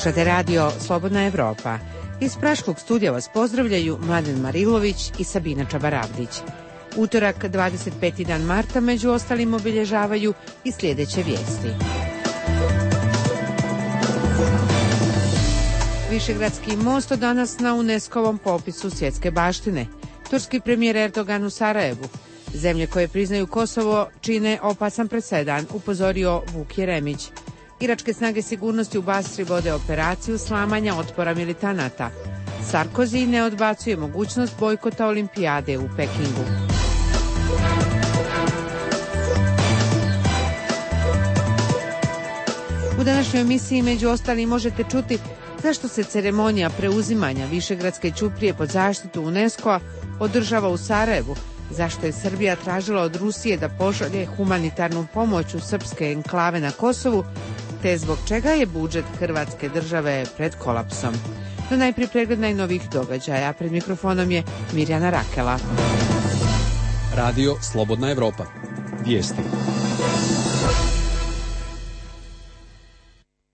Slušate radio Slobodna Evropa. Iz Praškog studija vas pozdravljaju Mladen Marilović i Sabina Čabaravdić. Utorak, 25. dan marta, među ostalim obilježavaju i sljedeće vijesti. Višegradski most danas na UNESCO-vom popisu svjetske baštine. Turski premijer Erdogan u Sarajevu. Zemlje koje priznaju Kosovo čine opasan presedan, upozorio Vuk Jeremić. Iračke snage sigurnosti u Basri vode operaciju slamanja otpora militanata. Sarkozy ne odbacuje mogućnost bojkota olimpijade u Pekingu. U današnjoj emisiji među ostalim možete čuti zašto se ceremonija preuzimanja Višegradske ćuprije pod zaštitu UNESCO-a održava u Sarajevu, zašto je Srbija tražila od Rusije da pošalje humanitarnu pomoć u srpske enklave na Kosovu, te zbog čega je budžet Hrvatske države pred kolapsom. No najprije pregled najnovijih događaja. Pred mikrofonom je Mirjana Rakela. Radio Slobodna Evropa. Vijesti.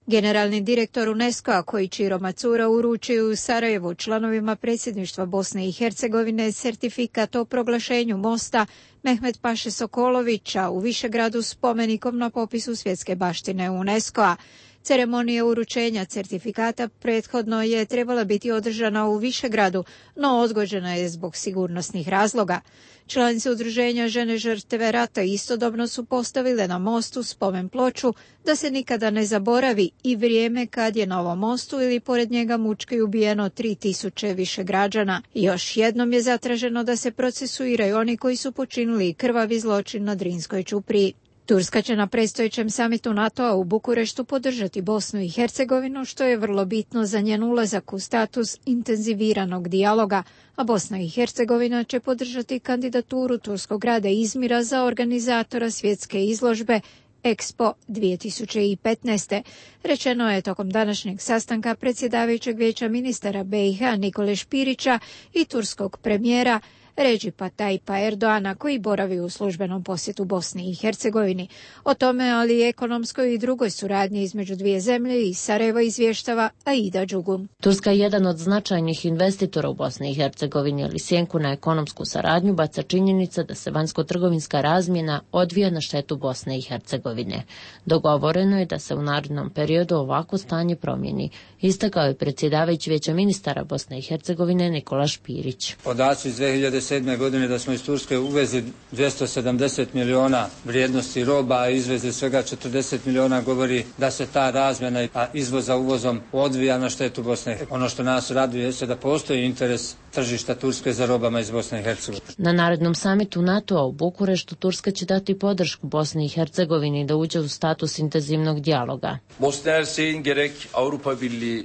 Generalni direktor UNESCO-a Koichiro Matsura uručio u Sarajevu članovima predsjedništva Bosne i Hercegovine certifikat o proglašenju mosta Mehmet Paše Sokolovića u Višegradu spomenikom na popisu svjetske baštine UNESCO-a. Ceremonija uručenja certifikata prethodno je trebala biti održana u Višegradu, no odgođena je zbog sigurnosnih razloga. Članice udruženja Žene žrtve rata istodobno su postavile na mostu spomen ploču da se nikada ne zaboravi i vrijeme kad je na ovom mostu ili pored njega mučki ubijeno 3000 Višegrađana. Još jednom je zatraženo da se procesuiraju oni koji su počinili krvavi zločin na Drinskoj ćupriji. Turska će na predstojećem samitu NATO-a u Bukureštu podržati Bosnu i Hercegovinu, što je vrlo bitno za njen ulazak u status intenziviranog dijaloga, a Bosna i Hercegovina će podržati kandidaturu turskog grada Izmira za organizatora svjetske izložbe Expo 2015. Rečeno je tokom današnjeg sastanka predsjedavajućeg vijeća ministara BiH Nikole Špirića i turskog premijera Redžipa Tayyipa Erdoana, koji boravi u službenom posjetu Bosni i Hercegovini. O tome, ali i ekonomskoj i drugoj suradnji između dvije zemlje i Sarajeva izvještava Aida Đugum. Turska je jedan od značajnih investitora u Bosni i Hercegovini, ali sjenku na ekonomsku saradnju baca činjenica da se vanjsko-trgovinska razmjena odvija na štetu Bosne i Hercegovine. Dogovoreno je da se u narednom periodu ovako stanje promijeni, istakao je predsjedavajući vijeća ministara Bosne i Hercegovine Nikola Špirić. Podaci iz 2007. godine da smo iz Turske uvezli 270 miliona vrijednosti roba, a izvezli svega 40 miliona, govori da se ta razmjena izvoza uvozom odvija na štetu Bosne. Ono što nas raduje je da postoji interes tržišta Turske za robama iz Bosne i Hercegovine. Na narednom samitu NATO-a u Bukureštu Turska će dati podršku Bosni i Hercegovini da uđe u status intenzivnog dijaloga.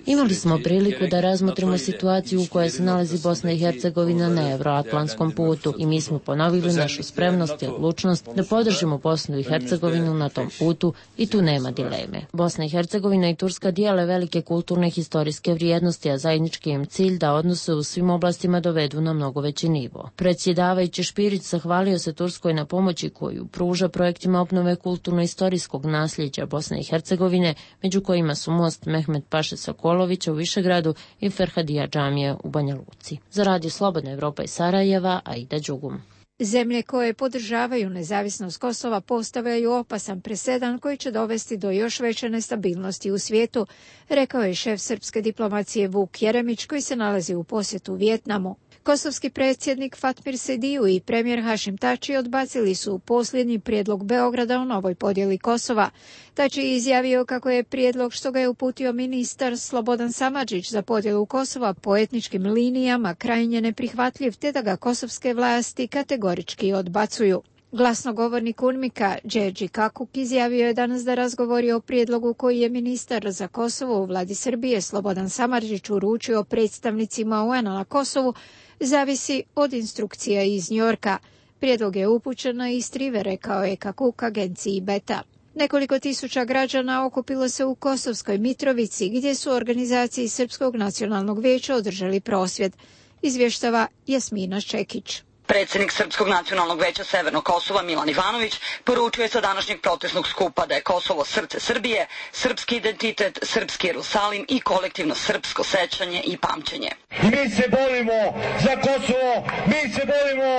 Imali smo priliku da razmotrimo situaciju u kojoj se nalazi Bosna i Hercegovina na euroatlantskom putu i mi smo ponovili našu spremnost i odlučnost da podržimo Bosnu i Hercegovinu na tom putu i tu nema dileme. Bosna i Hercegovina i Turska dijele velike kulturne i historijske vrijednosti, a zajednički im cilj da odnose u svim oblastima dovedu na mnogo veći nivo. Predsjedavajući Špirić zahvalio se Turskoj na pomoći koju pruža projektima obnove kulturno-istorijskog nasljeđa Bosne i Hercegovine, među kojima su most Mehmet Paše Sokolovića u Višegradu i Ferhadija džamija u Banja Luci. Za Radio Slobodna Evropa iz Sarajeva, Aida Đugum. Zemlje koje podržavaju nezavisnost Kosova postavljaju opasan presedan koji će dovesti do još veće nestabilnosti u svijetu, rekao je šef srpske diplomacije Vuk Jeremić, koji se nalazi u posjetu Vijetnamu. Kosovski predsjednik Fatmir Sediju i premijer Hašim Tači odbacili su posljednji prijedlog Beograda o novoj podjeli Kosova. Tači je izjavio kako je prijedlog što ga je uputio ministar Slobodan Samardžić za podjelu Kosova po etničkim linijama krajnje neprihvatljiv, te da ga kosovske vlasti kategorički odbacuju. Glasnogovornik UNMIK-a Đerđi Kakuk izjavio je danas da razgovori o prijedlogu koji je ministar za Kosovo u vladi Srbije Slobodan Samardžić uručio predstavnicima UN-a na Kosovu zavisi od instrukcija iz Njorka. Prijedlog je upućen na Istrive, rekao je Kakuk agenciji Beta. Nekoliko tisuća građana okupilo se u Kosovskoj Mitrovici, gdje su organizaciji Srpskog nacionalnog vijeća održali prosvjed, izvještava Jasmina Ščekić. Predsjednik Srpskog nacionalnog veća Severnog Kosova Milan Ivanović poručio je sa današnjeg protestnog skupa da je Kosovo srce Srbije, srpski identitet, srpski Jerusalim i kolektivno srpsko sećanje i pamćenje. Mi se borimo za Kosovo, mi se borimo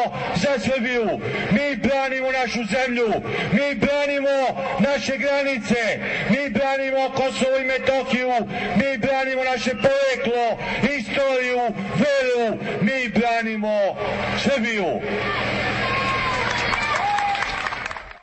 za Srbiju, mi branimo našu zemlju, mi branimo naše granice, mi branimo Kosovo i Metohiju, mi branimo naše poreklo, istoriju, veru, mi branimo Srbiju.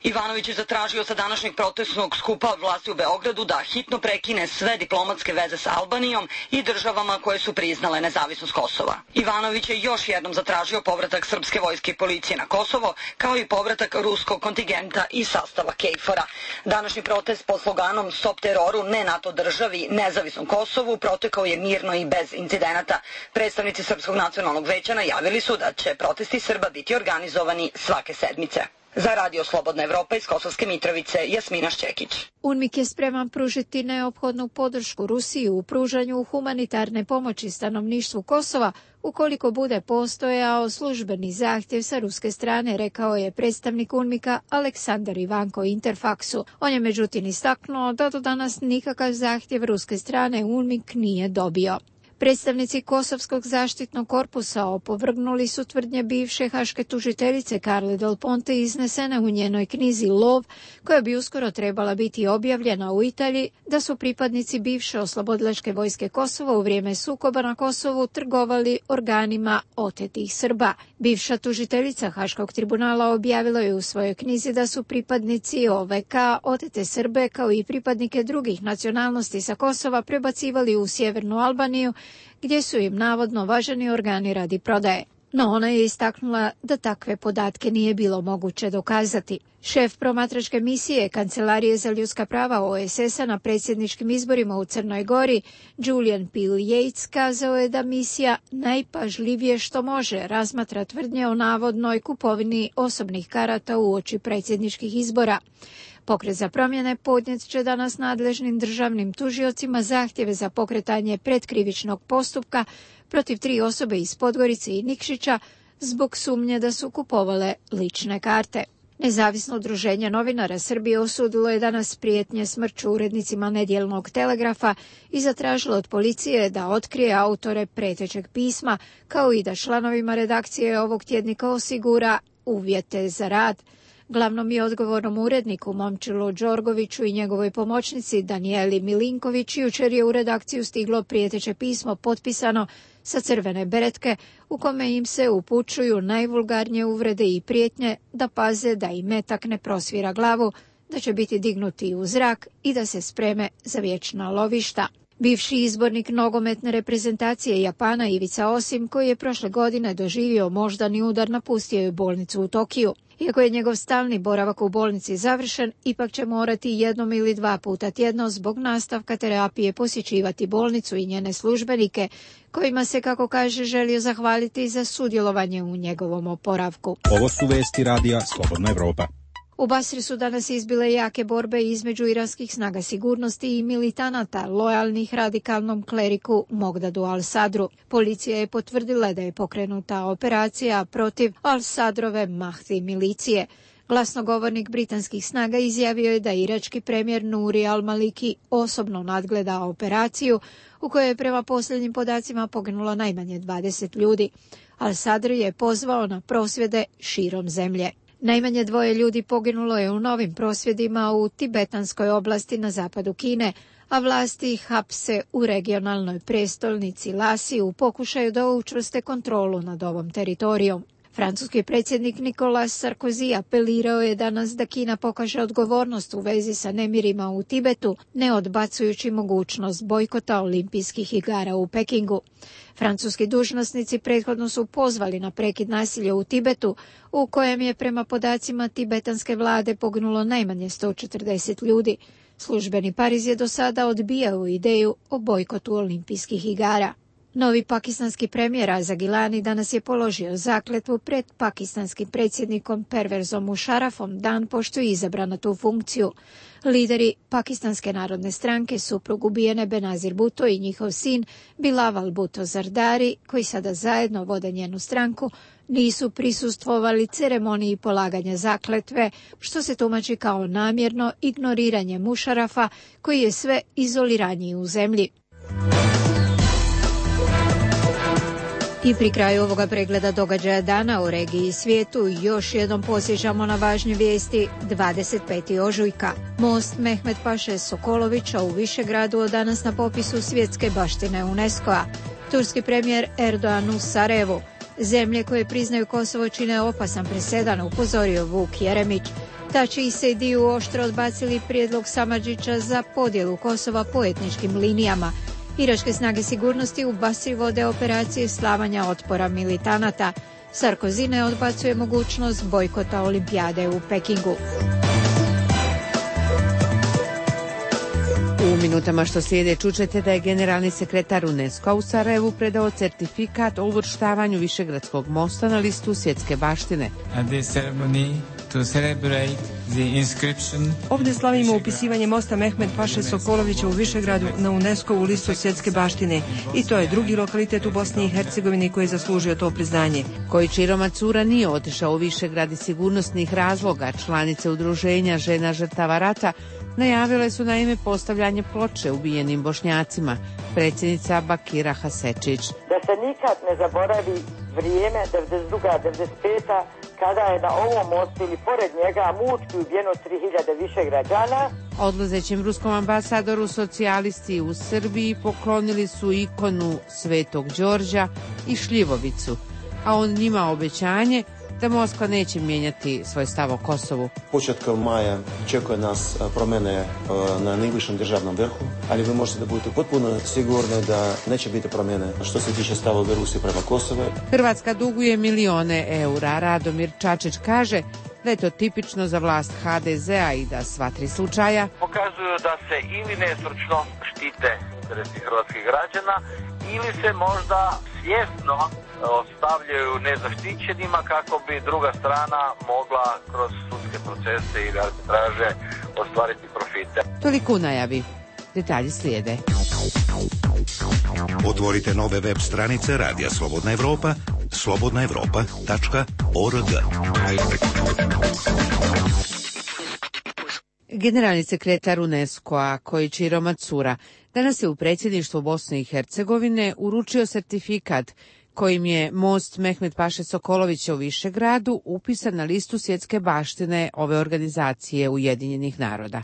Ivanović je zatražio sa današnjeg protestnog skupa od vlasti u Beogradu da hitno prekine sve diplomatske veze sa Albanijom i državama koje su priznale nezavisnost Kosova. Ivanović je još jednom zatražio povratak srpske vojske i policije na Kosovo, kao i povratak ruskog kontingenta i sastava KFOR-a. Današnji protest pod sloganom Stop teroru, ne NATO državi, nezavisnom Kosovu protekao je mirno i bez incidenata. Predstavnici Srpskog nacionalnog veća najavili su da će protesti Srba biti organizovani svake sedmice. Za Radio Slobodna Evropa iz Kosovske Mitrovice, Jasmina Šćekić. UNMIK je spreman pružiti neophodnu podršku Rusiji u pružanju humanitarne pomoći stanovništvu Kosova ukoliko bude postojao službeni zahtjev sa ruske strane, rekao je predstavnik UNMIK-a Aleksandar Ivanko Interfaksu. On je međutim istaknuo da do danas nikakav zahtjev ruske strane UNMIK nije dobio. Predstavnici Kosovskog zaštitnog korpusa opovrgnuli su tvrdnje bivše haške tužiteljice Carle Del Ponte iznesene u njenoj knjizi Lov, koja bi uskoro trebala biti objavljena u Italiji, da su pripadnici bivše oslobodilačke vojske Kosova u vrijeme sukoba na Kosovu trgovali organima otetih Srba. Bivša tužiteljica Haškog tribunala objavila je u svojoj knjizi da su pripadnici OVK otete Srbe kao i pripadnike drugih nacionalnosti sa Kosova prebacivali u sjevernu Albaniju, gdje su im navodno važeni organi radi prodaje. No ona je istaknula da takve podatke nije bilo moguće dokazati. Šef promatračke misije Kancelarije za ljudska prava OESS-a na predsjedničkim izborima u Crnoj Gori, Julian P. Yates, kazao je da misija najpažljivije što može razmatra tvrdnje o navodnoj kupovini osobnih karata uoči predsjedničkih izbora. Pokret za promjene podnijet će danas nadležnim državnim tužiocima zahtjeve za pokretanje predkrivičnog postupka protiv 3 osobe iz Podgorice i Nikšića zbog sumnje da su kupovale lične karte. Nezavisno udruženje novinara Srbije osudilo je danas prijetnje smrću urednicima Nedjeljnog telegrafa i zatražilo od policije da otkrije autore pretećeg pisma, kao i da članovima redakcije ovog tjednika osigura uvjete za rad. Glavnom i odgovornom uredniku Momčilu Đorgoviću i njegovoj pomoćnici Danijeli Milinković jučer je u redakciju stiglo prijeteće pismo potpisano sa crvene beretke u kome im se upućuju najvulgarnije uvrede i prijetnje da paze da im metak ne prosvira glavu, da će biti dignuti u zrak i da se spreme za vječna lovišta. Bivši izbornik nogometne reprezentacije Japana Ivica Osim, koji je prošle godine doživio moždani udar, napustio je bolnicu u Tokiju. Iako je njegov stalni boravak u bolnici završen, ipak će morati 1 ili 2 puta tjedno zbog nastavka terapije posjećivati bolnicu i njene službenike, kojima se, kako kaže, želio zahvaliti za sudjelovanje u njegovom oporavku. Ovo su vesti radija Slobodna Evropa. U Basri su danas izbile jake borbe između iranskih snaga sigurnosti i militanata lojalnih radikalnom kleriku Mogdadu al-Sadru. Policija je potvrdila da je pokrenuta operacija protiv al-Sadrove Mahdi milicije. Glasnogovornik britanskih snaga izjavio je da irački premijer Nuri al-Maliki osobno nadgleda operaciju u kojoj je prema posljednjim podacima poginulo najmanje 20 ljudi. Al-Sadr je pozvao na prosvjede širom zemlje. Najmanje 2 ljudi poginulo je u novim prosvjedima u tibetanskoj oblasti na zapadu Kine, a vlasti ih hapse u regionalnoj prestolnici Lasi u pokušaju da učvrste kontrolu nad ovom teritorijom. Francuski predsjednik Nicolas Sarkozy apelirao je danas da Kina pokaže odgovornost u vezi sa nemirima u Tibetu, ne odbacujući mogućnost bojkota olimpijskih igara u Pekingu. Francuski dužnosnici prethodno su pozvali na prekid nasilja u Tibetu, u kojem je prema podacima tibetanske vlade poginulo najmanje 140 ljudi. Službeni Pariz je do sada odbijao ideju o bojkotu olimpijskih igara. Novi pakistanski premijer Raza Gilani danas je položio zakletvu pred pakistanskim predsjednikom Pervezom Musharrafom dan pošto je izabran na tu funkciju. Lideri Pakistanske narodne stranke, suprug ubijene Benazir Bhutto i njihov sin Bilawal Bhutto Zardari, koji sada zajedno vode njenu stranku, nisu prisustvovali ceremoniji polaganja zakletve, što se tumači kao namjerno ignoriranje Musharrafa, koji je sve izoliraniji u zemlji. I pri kraju ovoga pregleda događaja dana u regiji i svijetu još jednom posjećamo na važne vijesti. 25. ožujka. Most Mehmet Paše Sokolovića u Višegradu od danas na popisu svjetske baštine UNESCO-a. Turski premijer Erdogan u Sarajevu. Zemlje koje priznaju Kosovo čine opasan presedan, upozorio Vuk Jeremić. Tači i Sejdiju oštro odbacili prijedlog Samardžića za podjelu Kosova po etničkim linijama. Iračke snage sigurnosti u Basri vode operacije slavanja otpora militanata. Sarkozy ne odbacuje mogućnost bojkota olimpijade u Pekingu. U minutama što slijede čućete da je generalni sekretar UNESCO-a u Sarajevu predao certifikat o uvrštavanju Višegradskog mosta na listu svjetske baštine. Ovdje slavimo upisivanje mosta Mehmet Paše Sokolovića u Višegradu na UNESCO-vu listu svjetske baštine i to je drugi lokalitet u Bosni i Hercegovini koji je zaslužio to priznanje. Kojičiro Macura nije otišao u Višegrad iz sigurnosnih razloga. Članice udruženja žena žrtava rata najavile su naime postavljanje ploče ubijenim Bošnjacima. Predsjednica Bakira Hasečić. Da se nikad ne zaboravi vrijeme 92-95 kada je na ovom mostu ili pored njega mučki ubijeno 3000 Višegrađana. Odlazećem ruskom ambasadoru socijalisti u Srbiji poklonili su ikonu Svetog Đorđa i šljivovicu, a on njima obećanje da Moskva neće mijenjati svoj stav o Kosovu. Početkom maja čekuje nas promjene na najvišem državnom vrhu, ali vi možete da budete potpuno sigurni da neće biti promjene što se tiče stava Rusije prema Kosovu. Hrvatska duguje milione eura. Radomir Čačić kaže da je to tipično za vlast HDZ-a i da sva tri slučaja pokazuju da se ili nestručno štite interesi hrvatskih građana ili se možda svjesno ostavljaju nezaštićenima kako bi druga strana mogla kroz sudske procese ili arbitraže ostvariti profite. Toliko u najavi. Detalji slijede. Otvorite nove web stranice Radija Slobodna Evropa, slobodnaevropa.org. Generalni sekretar UNESCO-a Kojičiro Macura danas je u predsjedništvu Bosne i Hercegovine uručio sertifikat kojim je most Mehmet Paše Sokolovića u Višegradu upisan na listu svjetske baštine ove organizacije Ujedinjenih naroda.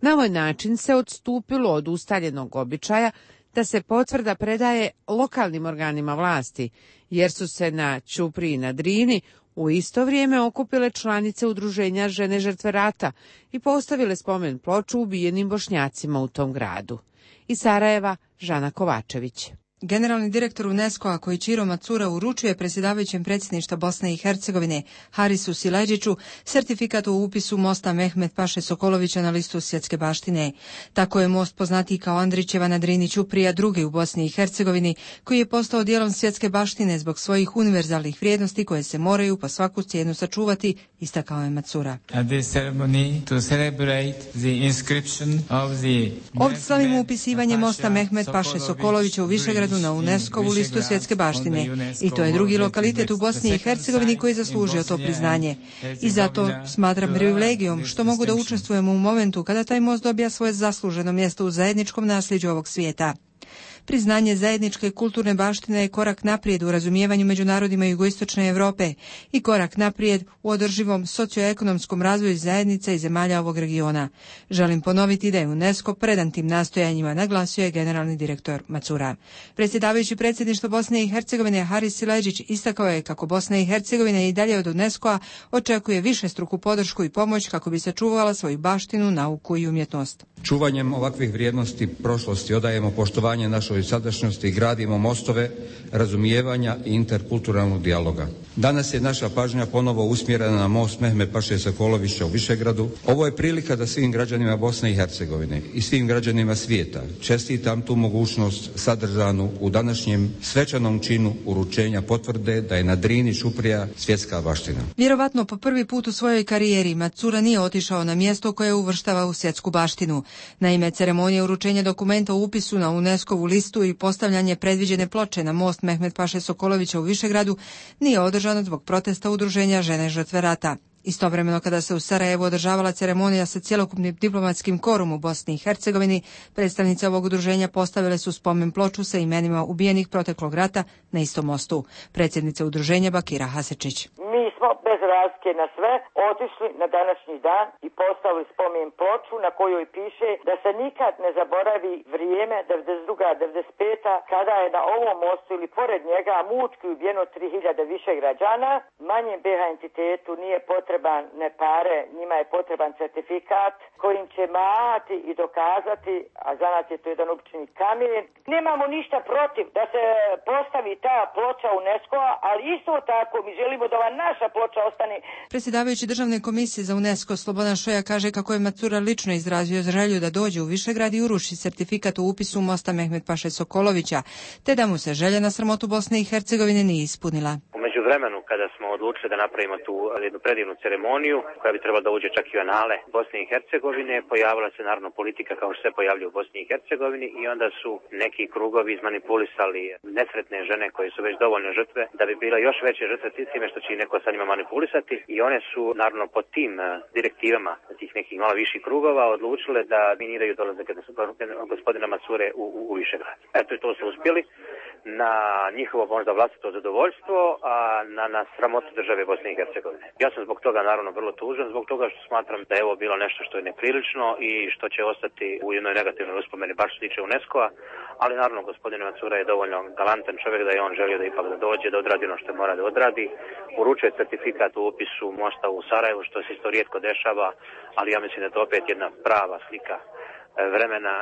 Na ovaj način se odstupilo od ustaljenog običaja da se potvrda predaje lokalnim organima vlasti, jer su se na Ćupriji na Drini u isto vrijeme okupile članice udruženja žene žrtve rata i postavile spomen ploču ubijenim Bošnjacima u tom gradu. Iz Sarajeva, Žana Kovačević. Generalni direktor UNESCO-a Kojičiro Macura uručuje predsjedavajućem predsjedništva Bosne i Hercegovine Harisu Sileđiću sertifikat o upisu mosta Mehmet Paše Sokolovića na listu svjetske baštine. Tako je most poznatiji kao Andrićeva na Drini Ćuprija drugi u Bosni i Hercegovini, koji je postao dijelom svjetske baštine zbog svojih univerzalnih vrijednosti koje se moraju po svaku cijenu sačuvati, istakao je Macura. Ovdje slavimo upisivanje mosta Mehmet Paše Sokolovića u Višegradu na UNESCO-vu listu svjetske baštine i to je drugi lokalitet u Bosni i Hercegovini koji je zaslužio to priznanje. I zato smatram privilegijom što mogu da učestvujem u momentu kada taj most dobija svoje zasluženo mjesto u zajedničkom nasljeđu ovog svijeta. Priznanje zajedničke kulturne baštine je korak naprijed u razumijevanju među narodima jugoistočne Europe i korak naprijed u održivom socioekonomskom razvoju zajednica i zemalja ovog regiona. Želim ponoviti da je UNESCO predan tim nastojanjima, naglasio je generalni direktor Macura. Predsjedavajući predsjedništvo Bosne i Hercegovine Haris Sileđić istakao je kako Bosna i Hercegovina i dalje od UNESCO-a očekuje višestruku podršku i pomoć kako bi sačuvala svoju baštinu, nauku i umjetnost. Čuvanjem ovakvih vrijednosti prošlosti odajemo poštovanje našoj našoj sadašnjosti gradimo mostove razumijevanja i interkulturalnog dijaloga. Danas je naša pažnja ponovo usmjerena na most Mehmet Paše Sokolovića u Višegradu. Ovo je prilika da svim građanima Bosne i Hercegovine i svim građanima svijeta čestitam tu mogućnost sadržanu u današnjem svečanom činu uručenja potvrde da je na Drini Ćuprija svjetska baština. Vjerovatno po prvi put u svojoj karijeri Macura nije otišao na mjesto koje uvrštava u svjetsku baštinu. Naime, ceremonija uručenja dokumenta o upisu na UNESCO-vu listu i postavljanje predviđene ploče na most Mehmet Paše Sokolovića u Višegradu nije održano zbog protesta udruženja Žene žrtve rata. Istovremeno kada se u Sarajevu održavala ceremonija sa cjelokupnim diplomatskim korom u Bosni i Hercegovini, predstavnice ovog udruženja postavile su spomen ploču sa imenima ubijenih proteklog rata na istom mostu. Predsjednica udruženja Bakira Hasečić. Mi smo bez razlike na sve otišli na današnji dan i postavili spomen ploču na kojoj piše da se nikad ne zaboravi vrijeme 92-95 kada je na ovom mostu ili pored njega mučki ubijeno 3000 više građana. Manjem BiH entitetu nije potreban ne pare, njima je potreban certifikat kojim će mahati i dokazati, a za nas je to jedan obični kamen. Nemamo ništa protiv da se postavi ta ploča UNESCO-a, ali isto tako mi želimo da ova naša ploča ostane. Predsjedavajući Državne komisije za UNESCO Slobodan Šoja kaže kako je Macura lično izrazio želju da dođe u Višegrad i uruši certifikat o upisu mosta Mehmet Paše Sokolovića, te da mu se želja na sramotu Bosne i Hercegovine nije ispunila. U vremenu kada smo odlučili da napravimo tu jednu predivnu ceremoniju koja bi trebala da uđe čak i u anale Bosne i Hercegovine, pojavila se naravno politika kao što se pojavlja u Bosni i Hercegovini i onda su neki krugovi izmanipulisali nesretne žene koje su već dovoljne žrtve da bi bila još veće žrtve time što će i neko sa njima manipulisati i one su naravno pod tim direktivama tih nekih malo viših krugova odlučile da miniraju dolazak gospodina Macure u Višegrad. Eto i to su uspjeli na njihovo možda vlastito zadovoljstvo, a na sramotu države Bosne i Hercegovine. Ja sam zbog toga naravno vrlo tužan, zbog toga što smatram da je ovo bilo nešto što je neprilično i što će ostati u jednoj negativnoj uspomeni, baš što se tiče UNESCO-a, ali naravno gospodin Macura je dovoljno galantan čovjek da je on želio da ipak da dođe, da odradi ono što mora da odradi. Uručuje certifikat u upisu mosta u Sarajevu, što se isto rijetko dešava, ali ja mislim da je to opet jedna prava slika vremena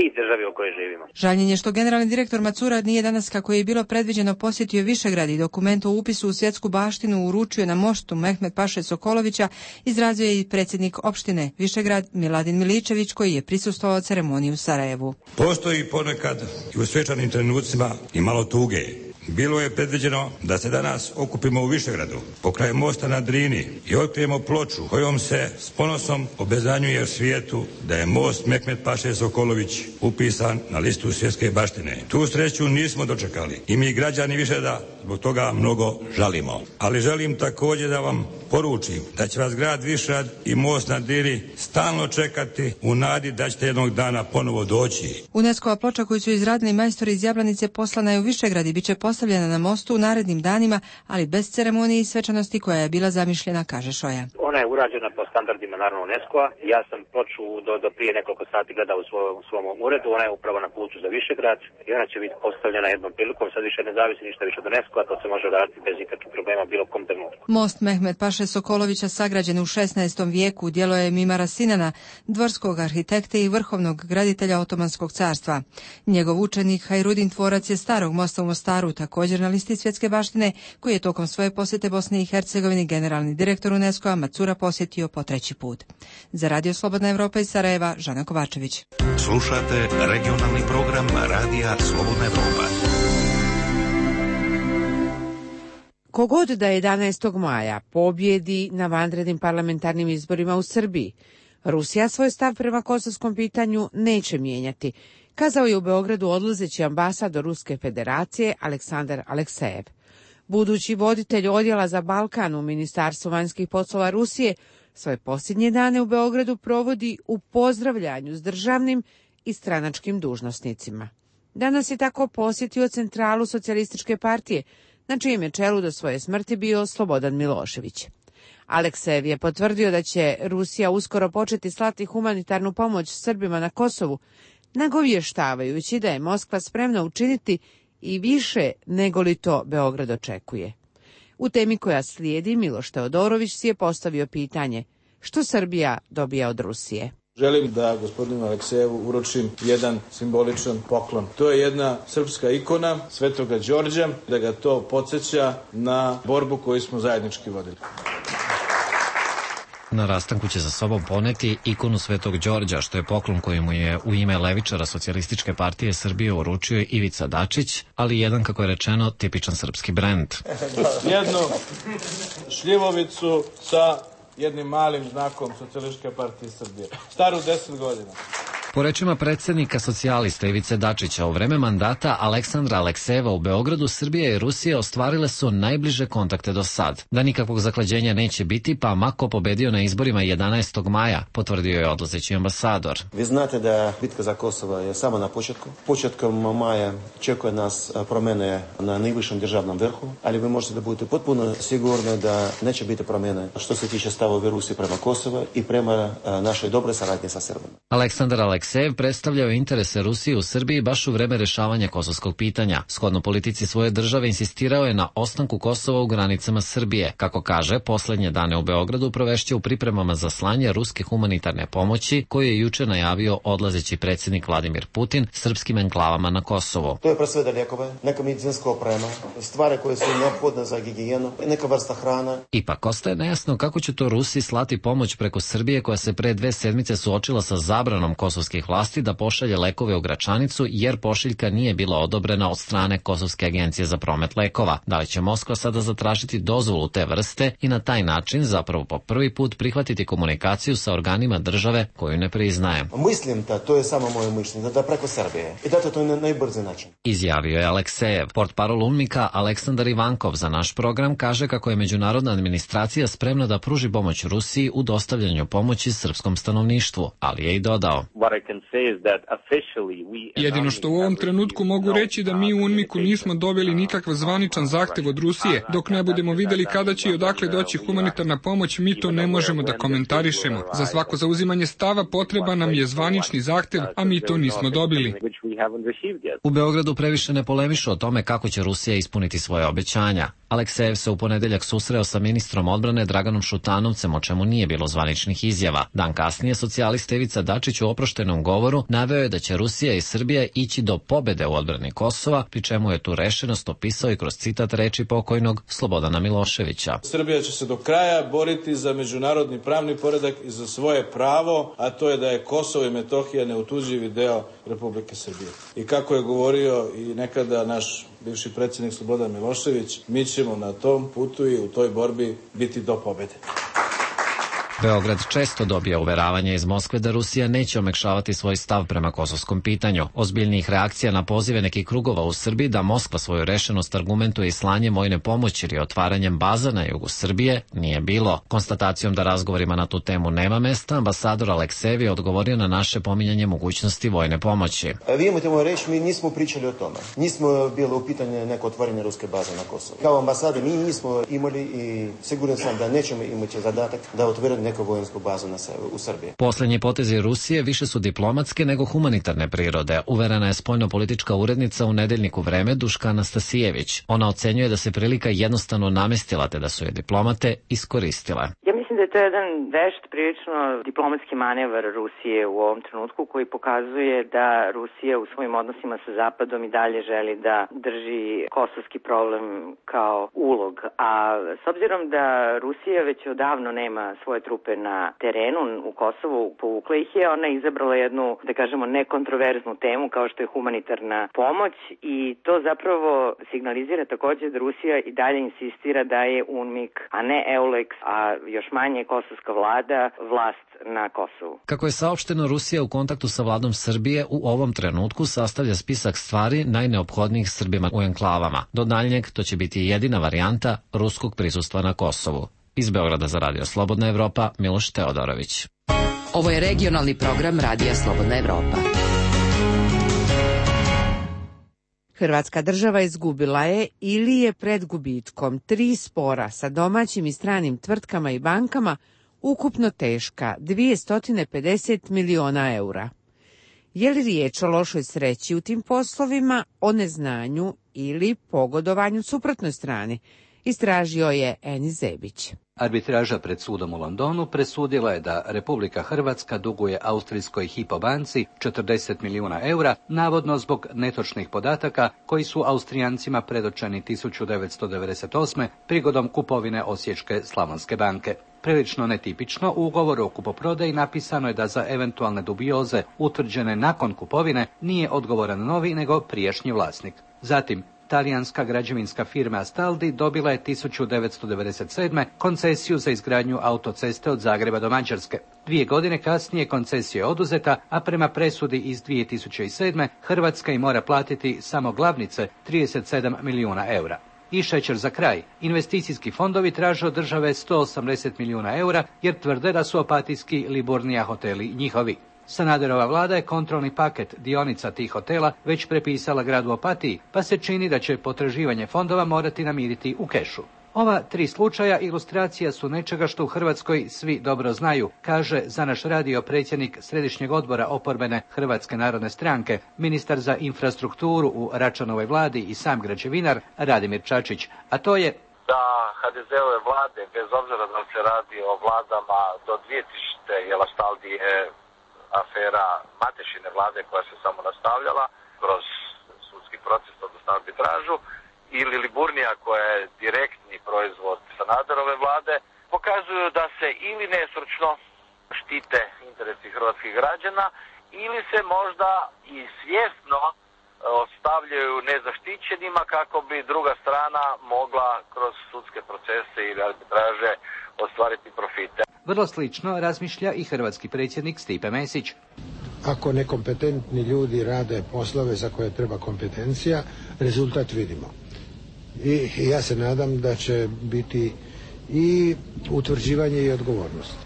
i državi u kojoj živimo. Žaljenje što generalni direktor Macura nije danas, kako je bilo predviđeno, posjetio Višegrad i dokument o upisu u svjetsku baštinu uručio na mostu Mehmet Paše Sokolovića, izrazio je i predsjednik opštine Višegrad Miladin Miličević, koji je prisustvovao ceremoniji u Sarajevu. Postoji ponekad i u svečanim trenucima i malo tuge. Bilo je predviđeno da se danas okupimo u Višegradu, pokraj mosta na Drini i otkrijemo ploču kojom se s ponosom obezanjuje u svijetu da je most Mehmet Paše Sokolović upisan na listu svjetske baštine. Tu sreću nismo dočekali i mi građani Višegrada zbog toga mnogo žalimo. Ali želim također da vam poručim da će vas grad Višegrad i most na Drini stalno čekati u nadi da ćete jednog dana ponovo doći. UNESCO-a ploča koju su izradili majstori iz Jablanice poslana je u Višegrad i bit će postavljena na mostu u narednim danima, ali bez ceremonije i svečanosti koja je bila zamišljena, kaže Šoja. Ona je urađena po standardima naravno UNESCO-a. Ja sam ploču do prije nekoliko sati gledao u svom uredu. Ona je upravo na putu za Višegrad i ona će biti postavljena jednom prilikom. Sad više ne zavisi ništa više od UNESCO-a, to se može raditi bez ikakvih problema bilo kom trenutku. Most Mehmet Paše Sokolovića, sagrađen u 16. vijeku, djelo je Mimara Sinana, dvorskog arhitekte i vrhovnog graditelja Otomanskog carstva. Njegov učenik Hajrudin, tvorac je starog mosta u Mostaru, također na listi svjetske baštine, koji je tokom svoje posjete Bosne i Hercegovini generalni direktor UNESCO-a Macura posjetio po 3. put. Za Radio Slobodna Evropa iz Sarajeva, Žana Kovačević. Slušate regionalni program Radija Slobodna Evropa. Kogod da 11. maja pobjedi na vanrednim parlamentarnim izborima u Srbiji, Rusija svoj stav prema kosovskom pitanju neće mijenjati, kazao je u Beogradu odlazeći ambasador Ruske federacije Aleksandar Aleksejev. Budući voditelj odjela za Balkan u Ministarstvu vanjskih poslova Rusije svoje posljednje dane u Beogradu provodi u pozdravljanju s državnim i stranačkim dužnosnicima. Danas je tako posjetio centralu Socijalističke partije, na čijem je čelu do svoje smrti bio Slobodan Milošević. Aleksejev je potvrdio da će Rusija uskoro početi slati humanitarnu pomoć Srbima na Kosovu, nagovještavajući da je Moskva spremna učiniti i više nego li to Beograd očekuje. U temi koja slijedi, Miloš Teodorović si je postavio pitanje: što Srbija dobija od Rusije? Želim da gospodinu Aleksejevu uručim jedan simboličan poklon. To je jedna srpska ikona Svetoga Đorđa, da ga to podsjeća na borbu koju smo zajednički vodili. Na rastanku će za sobom poneti ikonu Svetog Đorđa, što je poklon koji mu je u ime levičara Socijalističke partije Srbije uručio Ivica Dačić, ali jedan, kako je rečeno, tipičan srpski brend. Jednu šljivovicu sa jednim malim znakom Socijalističke partije Srbije, staru 10 godina. Po rečima predsjednika socijalista Ivice Dačića, u vreme mandata Aleksandra Aleksejeva u Beogradu, Srbija i Rusija ostvarile su najbliže kontakte do sad. Da nikakvog zaklađenja neće biti, pa ma ko pobedio na izborima 11. maja, potvrdio je odlazeći ambasador. Vi znate da bitka za Kosovo je samo na početku. Početkom maja čekuje nas promjene na najvišem državnom vrhu, ali vi možete da budete potpuno sigurni da neće biti promjene što se tiče stavova Rusije prema Kosovo i prema našoj dobroj saradnji sa Srbima. Aleksandar Aleksejev predstavljao interese Rusije u Srbiji baš u vreme rešavanja kosovskog pitanja. Shodno politici svoje države insistirao je na ostanku Kosova u granicama Srbije. Kako kaže, poslednje dane u Beogradu provešće u pripremama za slanje ruske humanitarne pomoći, koju je juče najavio odlazeći predsjednik Vladimir Putin srpskim enklavama na Kosovu. To je pre svega lijekove, neka medicinska oprema, stvari koje su neophodne za higijenu, neka vrsta hrana. Ipak ostaje nejasno kako će to Rusi slati pomoć preko Srbije, koja se pre 2 sedmice suočila sa zabranom kosovskih vlasti da pošalje lekove u Gračanicu, jer pošiljka nije bila odobrena od strane Kosovske agencije za promet lekova. Da li će Moskva sada zatražiti dozvolu te vrste i na taj način zapravo po prvi put prihvatiti komunikaciju sa organima države koju ne priznaje? Mislim da to je samo moje mišljenje, da preko Srbije. I da to je najbrži način. Izjavio je Aleksejev. Portparol UNMIK-a Aleksandar Ivankov za naš program kaže kako je međunarodna administracija spremna da pruži pomoć Rusiji u dostavljanju pomoći srpskom stanovništvu, ali je i dodao: jedino što u ovom trenutku mogu reći da mi u UNMIK-u nismo dobili nikakav zvaničan zahtev od Rusije. Dok ne budemo videli kada će i odakle doći humanitarna pomoć, mi to ne možemo da komentarišemo. Za svako zauzimanje stava potreba nam je zvanični zahtev, a mi to nismo dobili. U Beogradu previše ne polemišu o tome kako će Rusija ispuniti svoje obećanja. Aleksejev se u ponedeljak susreo sa ministrom odbrane Draganom Šutanovcem, o čemu nije bilo zvaničnih izjava. Dan kasnije socijalista Ivica Dačić u oproštenom govoru naveo je da će Rusija i Srbija ići do pobede u odbrani Kosova, pri čemu je tu rešenost opisao i kroz citat reči pokojnog Slobodana Miloševića. Srbija će se do kraja boriti za međunarodni pravni poredak i za svoje pravo, a to je da je Kosovo i Metohija neotuđivi deo Republike Srbije. I kako je govorio i nekada naš bivši predsjednik Slobodan Milošević, mi ćemo na tom putu i u toj borbi biti do pobede. Beograd često dobija uveravanje iz Moskve da Rusija neće omekšavati svoj stav prema kosovskom pitanju. Ozbiljnijih reakcija na pozive nekih krugova u Srbiji da Moskva svoju rešenost argumentuje i slanjem vojne pomoći ili otvaranjem baza na jugu Srbije nije bilo. Konstatacijom da razgovorima na tu temu nema mesta, ambasador Aleksejev je odgovorio na naše pominjanje mogućnosti vojne pomoći. Vi imate moju reći, mi nismo pričali o tome. Nismo bilo u pitanju neko otvaranje ruske baze na Kosovu. Kao ambasade mi nismo imali i siguran sam da nećemo imati zadatak da otvorimo neku vojensku bazu u Srbiji. Poslednji potezi Rusije više su diplomatske nego humanitarne prirode, uverena je spoljnopolitička urednica u nedeljniku Vreme Duška Anastasijević. Ona ocenjuje da se prilika jednostavno namestila te da su je diplomate iskoristile. Mislim da je to jedan vešt, prilično diplomatski manevar Rusije u ovom trenutku koji pokazuje da Rusija u svojim odnosima sa Zapadom i dalje želi da drži kosovski problem kao ulog. A s obzirom da Rusija već odavno nema svoje trupe na terenu u Kosovu, povukla ih je, ona je izabrala jednu, da kažemo, nekontroverznu temu kao što je humanitarna pomoć i to zapravo signalizira također da Rusija i dalje insistira da je UNMIK, a ne EULEX, a još manje kosovska vlast na Kosovu. Kako je saopšteno, Rusija u kontaktu sa vladom Srbije u ovom trenutku sastavlja spisak stvari najneophodnijih Srbima u enklavama. Do daljnjeg to će biti jedina varijanta ruskog prisustva na Kosovu. Iz Beograda za Radio Slobodna Evropa, Miloš Teodorović. Ovo je regionalni program Radija Slobodna Evropa. Hrvatska država izgubila je ili je pred gubitkom 3 spora sa domaćim i stranim tvrtkama i bankama ukupno teška 250 miliona eura. Je li riječ o lošoj sreći u tim poslovima, o neznanju ili pogodovanju suprotnoj strani? Istražio je Enis Zebić. Arbitraža pred sudom u Londonu presudila je da Republika Hrvatska duguje austrijskoj Hypo banci 40 milijuna eura, navodno zbog netočnih podataka koji su Austrijancima predočeni 1998. prigodom kupovine Osječke Slavonske banke. Prilično netipično, u ugovoru o kupoprodaji napisano je da za eventualne dubioze utvrđene nakon kupovine nije odgovoran novi nego prijašnji vlasnik. Zatim, talijanska građevinska firma Astaldi dobila je 1997. koncesiju za izgradnju autoceste od Zagreba do Mađarske. 2 godine kasnije koncesija je oduzeta, a prema presudi iz 2007. Hrvatska im mora platiti samo glavnice 37 milijuna eura. I šećer za kraj. Investicijski fondovi traže od države 180 milijuna eura jer tvrde da su opatijski Liburnija hoteli njihovi. Sanaderova vlada je kontrolni paket dionica tih hotela već prepisala gradu Opatiji, pa se čini da će potraživanje fondova morati namiriti u kešu. Ova 3 slučaja ilustracija su nečega što u Hrvatskoj svi dobro znaju, kaže za naš radio predsjednik Središnjeg odbora oporbene Hrvatske narodne stranke, ministar za infrastrukturu u Račanovoj vladi i sam građevinar Radimir Čačić, a to je da HDZ-ove vlade, bez obzira da se radi o vladama do 2000. je Astaldi afera Matešine vlade koja se samo nastavljala kroz sudski proces, odnosno arbitražu, ili Liburnija koja je direktni proizvod Sanaderove vlade, pokazuju da se ili nestručno štite interesi hrvatskih građana ili se možda i svjesno ostavljaju nezaštićenima kako bi druga strana mogla kroz sudske procese ili arbitraže ostvariti profite. Vrlo slično razmišlja i hrvatski predsjednik Stipe Mesić. Ako nekompetentni ljudi rade poslove za koje treba kompetencija, rezultat vidimo. I ja se nadam da će biti i utvrđivanje i odgovornost.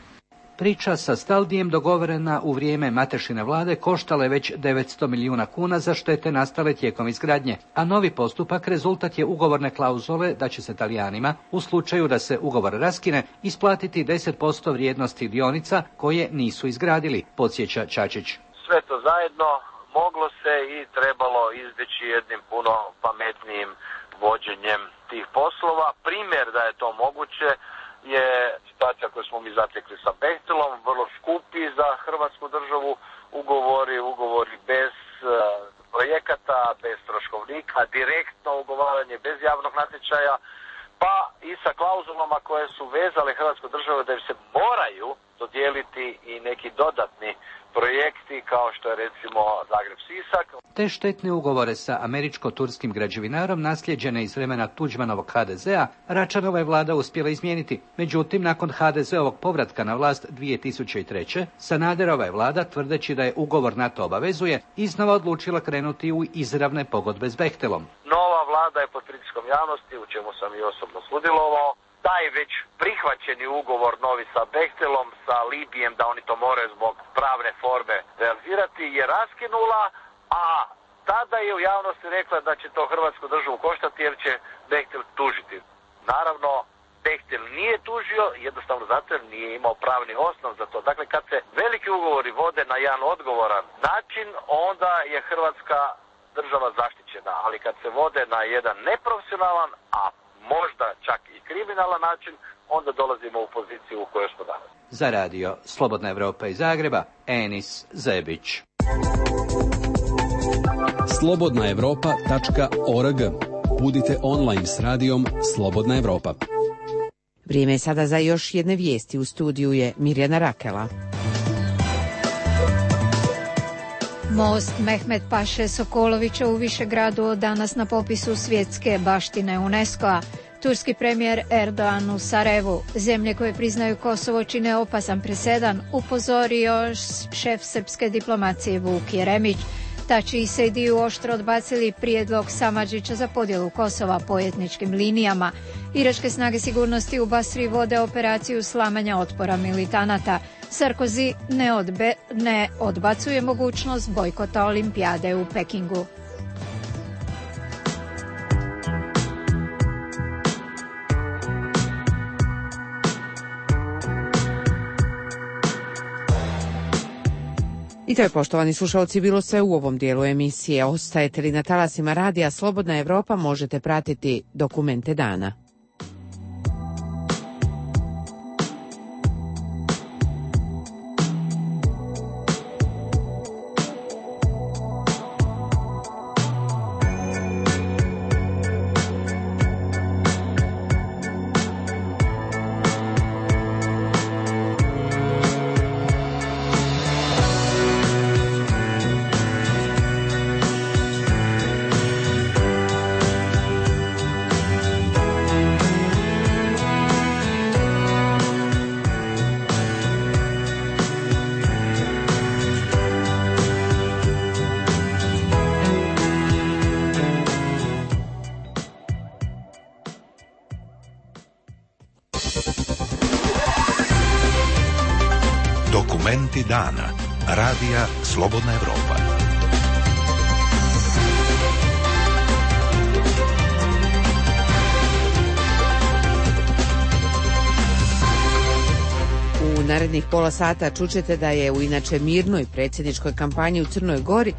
Priča sa Astaldijem dogovorena u vrijeme Matešine vlade koštala je već 900 milijuna kuna za štete nastale tijekom izgradnje, a novi postupak rezultat je ugovorne klauzule da će se Talijanima, u slučaju da se ugovor raskine, isplatiti 10% vrijednosti dionica koje nisu izgradili, podsjeća Čačić. Sve to zajedno moglo se i trebalo izbjeći jednim puno pametnijim vođenjem tih poslova. Primjer da je to moguće je situacija koju smo mi zatekli sa Bechtelom, vrlo skupi za hrvatsku državu ugovori bez projekata, bez troškovnika, direktno ugovaranje bez javnog natječaja, pa i sa klauzulama koje su vezale hrvatsku državu da im se moraju dodijeliti i neki dodatni projekti kao što je recimo Zagreb-Sisak. Te štetne ugovore sa američko-turskim građevinarom naslijeđene iz vremena Tuđmanovog HDZ-a Račanova je vlada uspjela izmijeniti. Međutim, nakon HDZ-ovog povratka na vlast 2003. Sanaderova je vlada, tvrdeći da je ugovor na to obavezuje, iznova odlučila krenuti u izravne pogodbe s Bechtelom. Nova vlada je pod pritiskom javnosti, u čemu sam i osobno sudjelovao. Taj već prihvaćeni ugovor novi sa Bechtelom, sa Libijem, da oni to moraju zbog pravne forme realizirati, je raskinula, a tada je u javnosti rekla da će to hrvatsku državu koštati jer će Bechtel tužiti. Naravno, Bechtel nije tužio, jednostavno zato jer nije imao pravni osnov za to. Dakle, kad se veliki ugovori vode na jedan odgovoran način, onda je hrvatska država zaštićena, ali kad se vode na jedan neprofesionalan, a možda čak i kriminalan način, onda dolazimo u poziciju u kojoj smo danas. Za radio Slobodna Evropa iz Zagreba, Enis Zebić. slobodnaevropa.org. Budite online s radijom Slobodna Evropa. Vrijeme je sada za još jedne vijesti. U studiju je Mirjana Rakela. Most Mehmet Paše Sokolovića u Višegradu od danas na popisu svjetske baštine UNESCO-a. Turski premijer Erdogan u Sarajevu, zemlje koje priznaju Kosovo čine opasan presedan, upozorio šef srpske diplomacije Vuk Jeremić. Tači i Sejdiju oštro odbacili prijedlog Samardžića za podjelu Kosova po etničkim linijama. Iračke snage sigurnosti u Basri vode operaciju slamanja otpora militanata. Sarkozy ne odbacuje mogućnost bojkota olimpijade u Pekingu. I to je, poštovani slušalci, bilo sve u ovom dijelu emisije. Ostajete li na talasima radija Slobodna Evropa, možete pratiti dokumente dana. Dokumenti dana. Radija Slobodna Evropa. U narednih pola sata čućete da je u inače mirnoj predsjedničkoj kampanji u Crnoj Gori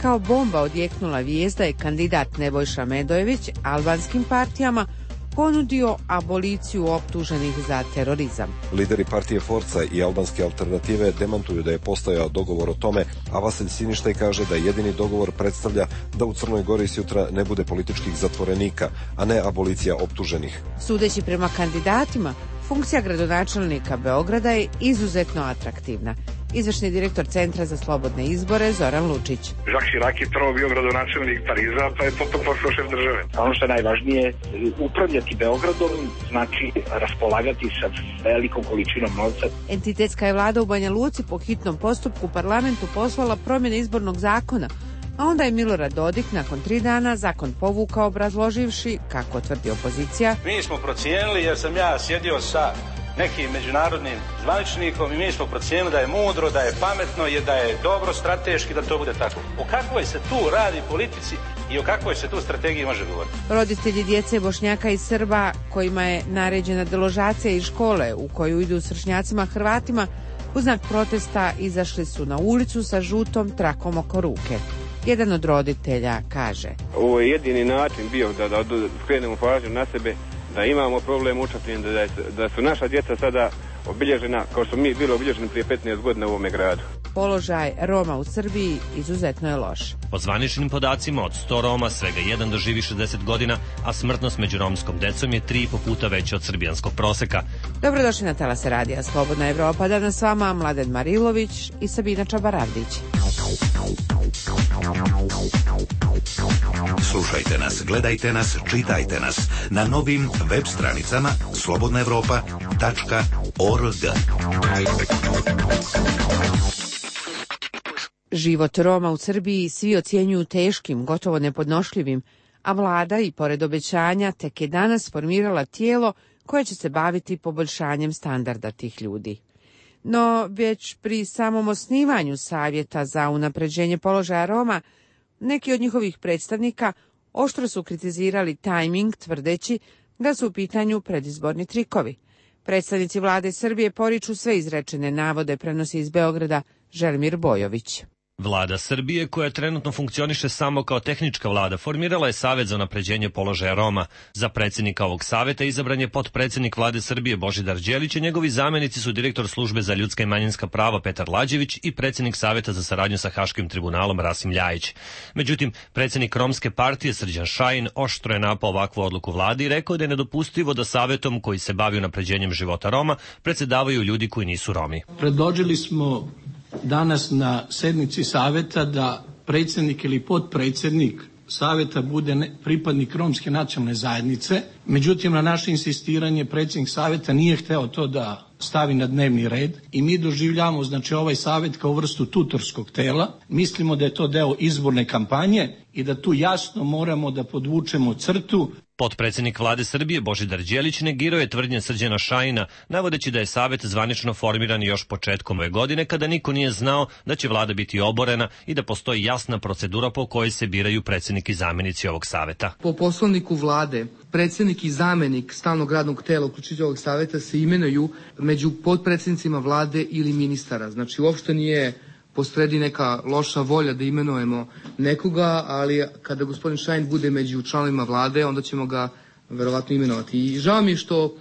kao bomba odjeknula vijest da je kandidat Nebojša Medojević albanskim partijama ponudio aboliciju optuženih za terorizam. Lideri partije Forca i albanske alternative demantuju da je postojao dogovor o tome, a Vasilj Siništaj kaže da jedini dogovor predstavlja da u Crnoj Gori sutra ne bude političkih zatvorenika, a ne abolicija optuženih. Sudeći prema kandidatima, funkcija gradonačelnika Beograda je izuzetno atraktivna. Izvršni direktor Centra za slobodne izbore Zoran Lučić. Jacques Chirac je prvo bio gradonačelnik Pariza, pa je potom postao šef države. Ono što je najvažnije, upravljati Beogradom znači raspolagati sa velikom količinom novca. Entitetska je vlada u Banja Luci po hitnom postupku parlamentu poslala promjene izbornog zakona, a onda je Milorad Dodik nakon 3 dana zakon povukao obrazloživši, kako tvrdi opozicija. Mi smo procijenili, jer sam ja sjedio sa nekim međunarodnim zvaničnikom i mi smo procijenili da je mudro, da je pametno i da je dobro strateški da to bude tako. O kakvoj se tu radi politici i o kakvoj se tu strategiji može govoriti? Roditelji djece Bošnjaka i Srba kojima je naređena deložacija iz škole u koju idu s vršnjacima Hrvatima u znak protesta izašli su na ulicu sa žutom trakom oko ruke. Jedan od roditelja kaže: ovo je jedini način bio da skrenemo pažnju na sebe, da imamo problem učapljen, da su naša djeca sada obilježena kao što mi bili obilježeni prije 15 godina u ovome gradu. Položaj Roma u Srbiji izuzetno je loš. Po zvaničnim podacima, od 100 Roma svega jedan doživi 60 godina, a smrtnost među romskom decom je 3,5 puta veća od srbijanskog proseka. Dobrodošli na talase radija Slobodna Evropa. Danas s vama Mladen Marilović i Sabina Čabaravdić. Slušajte nas, gledajte nas, čitajte nas na novim web stranicama slobodnaevropa.org. Život Roma u Srbiji svi ocjenjuju teškim, gotovo nepodnošljivim, a vlada i pored obećanja tek je danas formirala tijelo koje će se baviti poboljšanjem standarda tih ljudi. No, već pri samom osnivanju Savjeta za unapređenje položaja Roma, neki od njihovih predstavnika oštro su kritizirali tajming, tvrdeći da su u pitanju predizborni trikovi. Predstavnici vlade Srbije poriču sve izrečene navode, prenosi iz Beograda Želimir Bojović. Vlada Srbije, koja trenutno funkcioniše samo kao tehnička vlada, formirala je Savet za unapređenje položaja Roma. Za predsjednika ovog saveta izabran je potpredsjednik vlade Srbije Božidar Đelić, a njegovi zamenici su direktor službe za ljudska i manjinska prava Petar Lađević i predsjednik Saveta za saradnju sa Haškim tribunalom Rasim Ljajić. Međutim, predsjednik Romske partije Srđan Šajin oštro je napao ovakvu odluku vlade i rekao da je nedopustivo da savetom koji se bavi unapređenjem života Roma predsjedavaju ljudi koji nisu Romi. Predložili smo danas na sednici saveta da predsjednik ili potpredsjednik saveta bude pripadnik romske nacionalne zajednice. Međutim, na naše insistiranje predsjednik saveta nije hteo to da stavi na dnevni red i mi doživljavamo ovaj savet kao vrstu tutorskog tela. Mislimo da je to deo izborne kampanje i da tu jasno moramo da podvučemo crtu. Potpredsjednik vlade Srbije Božidar Đelić negirao je tvrdnje Srđana Šajina, navodeći da je savet zvanično formiran još početkom ove godine, kada niko nije znao da će vlada biti oborena i da postoji jasna procedura po kojoj se biraju predsjednik i zamjenici ovog saveta. Po poslovniku vlade, predsjednik i zamjenik stalnog radnog tela uključujući ovog saveta se imenuju među potpredsjednicima vlade ili ministara. Znači, uopšte nije posredi neka loša volja da imenujemo nekoga, ali kada gospodin Šajn bude među članovima vlade, onda ćemo ga verovatno imenovati. I žao mi je što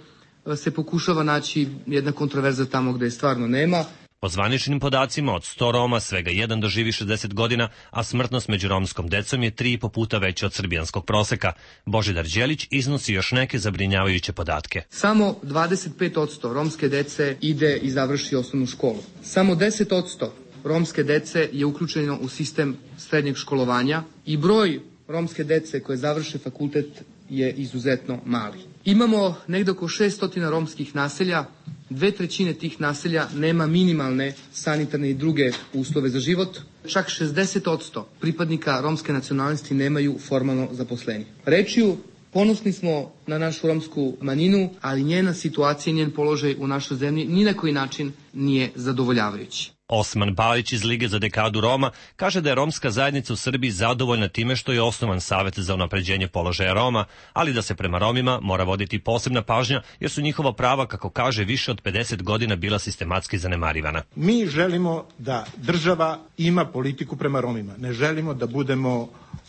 se pokušava naći jedna kontroverza tamo gde je stvarno nema. Po zvaničnim podacima, od 100 Roma svega jedan doživi 60 godina, a smrtnost među romskom decom je 3,5 puta veća od srbijanskog proseka. Božidar Đelić iznosi još neke zabrinjavajuće podatke. Samo 25% romske dece ide i završi osnovnu školu. Samo 10% romske dece je uključeno u sistem srednjeg školovanja i broj romske dece koje završe fakultet je izuzetno mali. Imamo negdje oko 600 romskih naselja, 2/3 tih naselja nema minimalne sanitarne i druge uslove za život. Čak 60% pripadnika romske nacionalnosti nemaju formalno zaposlenje. Rečju, Ponosni smo na našu romsku manjinu, ali njena situacija i njen položaj u našoj zemlji ni na koji način nije zadovoljavajući. Osman Balić iz Lige za dekadu Roma kaže da je romska zajednica u Srbiji zadovoljna time što je osnovan Savet za unapređenje položaja Roma, ali da se prema Romima mora voditi posebna pažnja jer su njihova prava, kako kaže, više od 50 godina bila sistematski zanemarivana. Mi želimo da država ima politiku prema Romima. Ne želimo da budemo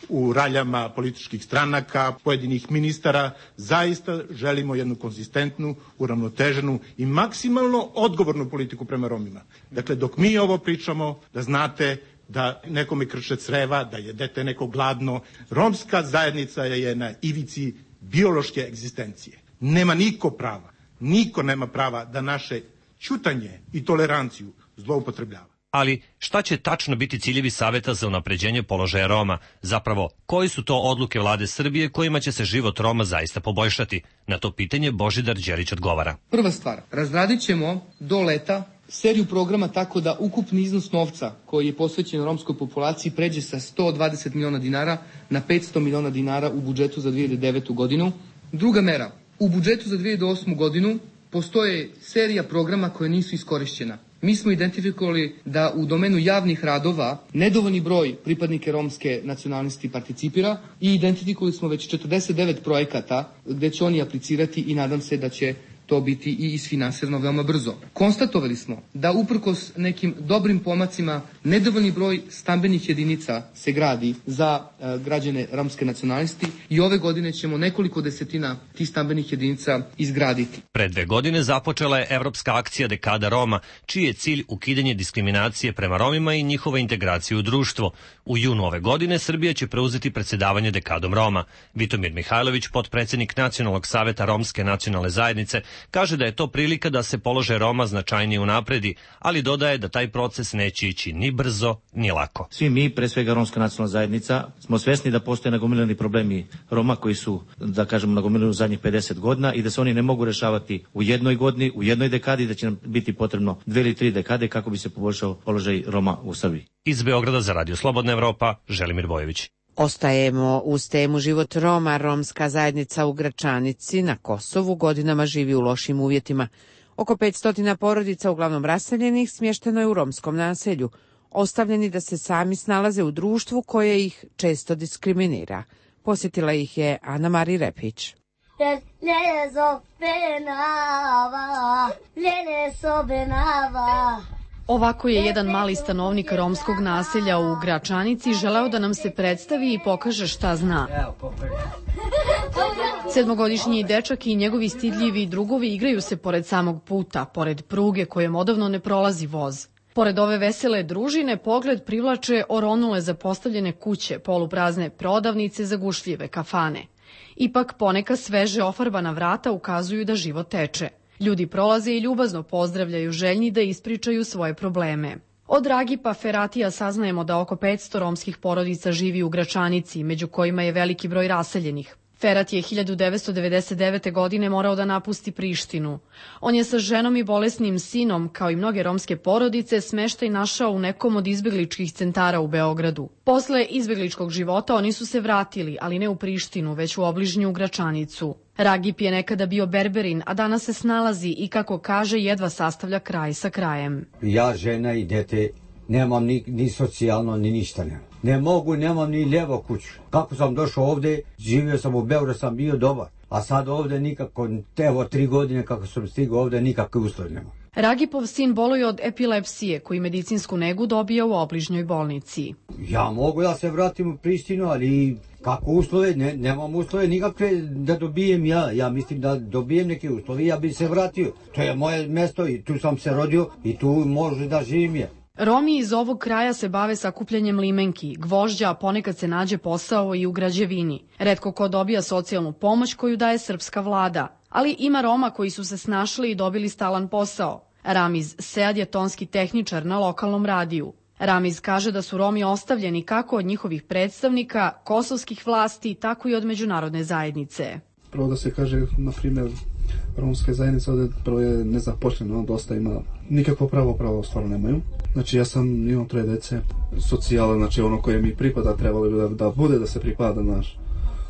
u raljama političkih stranaka, pojedinih ministara. Zaista želimo jednu konzistentnu, uravnoteženu i maksimalno odgovornu politiku prema Romima. Dakle, dok mi ovo pričamo, da znate da nekome krče creva, da je dete neko gladno. Romska zajednica je na ivici biološke egzistencije. Nema niko nema prava da naše ćutanje i toleranciju zloupotrebljava. Ali šta će tačno biti ciljevi Saveta za unapređenje položaja Roma? Zapravo, koji su to odluke vlade Srbije kojima će se život Roma zaista poboljšati? Na to pitanje Božidar Đelić odgovara. Prva stvar, razradit ćemo do leta seriju programa tako da ukupni iznos novca koji je posvećen romskoj populaciji pređe sa 120 miliona dinara na 500 miliona dinara u budžetu za 2009. godinu. Druga mera, u budžetu za 2008. godinu postoje serija programa koje nisu iskorišćena. Mi smo identifikovali da u domenu javnih radova nedovoljni broj pripadnika romske nacionalnosti participira i identifikovali smo već 49 projekata gde će oni aplicirati i nadam se da će to biti i isfinansirano veoma brzo. Konstatovali smo da uprkos nekim dobrim pomacima nedovoljni broj stambenih jedinica se gradi za građane romske nacionalnosti i ove godine ćemo nekoliko desetina tih stambenih jedinica izgraditi. Pre 2 godine započela je Evropska akcija Dekada Roma, čiji je cilj ukidanje diskriminacije prema Romima i njihova integracija u društvo. U junu ove godine Srbija će preuzeti predsjedavanje Dekadom Roma. Vitomir Mihajlović, potpredsjednik Nacionalnog saveta Romske nacionalne zajednice, kaže da je to prilika da se položaj Roma značajnije unapredi, ali dodaje da taj proces neće ići ni brzo, ni lako. Svi mi, pre svega Romska nacionalna zajednica, smo svesni da postoje nagomilani problemi Roma koji su, da kažemo, nagomilani u zadnjih 50 godina i da se oni ne mogu rešavati u jednoj godini, u jednoj dekadi, da će nam biti potrebno 2 ili 3 dekade kako bi se poboljšao položaj Roma u Srbiji. Iz Beograda za Radio Slobodna Evropa, Želimir Bojević. Ostajemo uz temu život Roma. Romska zajednica u Gračanici na Kosovu godinama živi u lošim uvjetima. Oko 500 porodica, uglavnom raseljenih, smješteno je u romskom naselju, ostavljeni da se sami snalaze u društvu koje ih često diskriminira. Posjetila ih je Ana Mari Repić. Ovako je jedan mali stanovnik romskog naselja u Gračanici želeo da nam se predstavi i pokaže šta zna. 7-godišnji dečak i njegovi stidljivi drugovi igraju se pored samog puta, pored pruge kojem odavno ne prolazi voz. Pored ove vesele družine pogled privlače oronule zapostavljene kuće, poluprazne prodavnice, zagušljive kafane. Ipak poneka sveže ofarbana vrata ukazuju da život teče. Ljudi prolaze i ljubazno pozdravljaju, željni da ispričaju svoje probleme. Od Ragipa Feratija saznajemo da oko 500 romskih porodica živi u Gračanici, među kojima je veliki broj raseljenih. Ferat je 1999. godine morao da napusti Prištinu. On je sa ženom i bolesnim sinom, kao i mnoge romske porodice, smeštaj našao u nekom od izbegličkih centara u Beogradu. Posle izbegličkog života oni su se vratili, ali ne u Prištinu, već u obližnju Gračanicu. Ragip je nekada bio berberin, a danas se snalazi i, kako kaže, jedva sastavlja kraj sa krajem. Ja, žena i dete, nemam ni socijalno, ni ništa nemam. Ne mogu, nemam ni lijevo kuću. Kako sam došao ovdje, živio sam u Beogradu, sam bio dobar. A sad ovdje nikako, evo 3 godine kako sam stigao ovdje, nikakve uslovi nema. Ragipov sin boluje od epilepsije, koji medicinsku negu dobija u obližnjoj bolnici. Ja mogu da se vratim u Prištinu, ali kako uslove, nemam uslove nikakve da dobijem ja. Ja mislim da dobijem neke uslove, ja bi se vratio. To je moje mjesto i tu sam se rodio i tu može da živim je. Romi iz ovog kraja se bave sakupljanjem limenki, gvožđa, a ponekad se nađe posao i u građevini. Retko ko dobija socijalnu pomoć koju daje srpska vlada. Ali ima Roma koji su se snašli i dobili stalan posao. Ramiz Sead je tonski tehničar na lokalnom radiju. Ramiz kaže da su Romi ostavljeni kako od njihovih predstavnika, kosovskih vlasti, tako i od međunarodne zajednice. Prvo da se kaže, na primjer, romska zajednica ovdje prvo je nezaposlena, dosta ima, nikakvo pravo stvarno nemaju. Znači ja imam 3 dece, socijala, znači ono koje mi pripada, trebalo bi da bude da se pripada naš.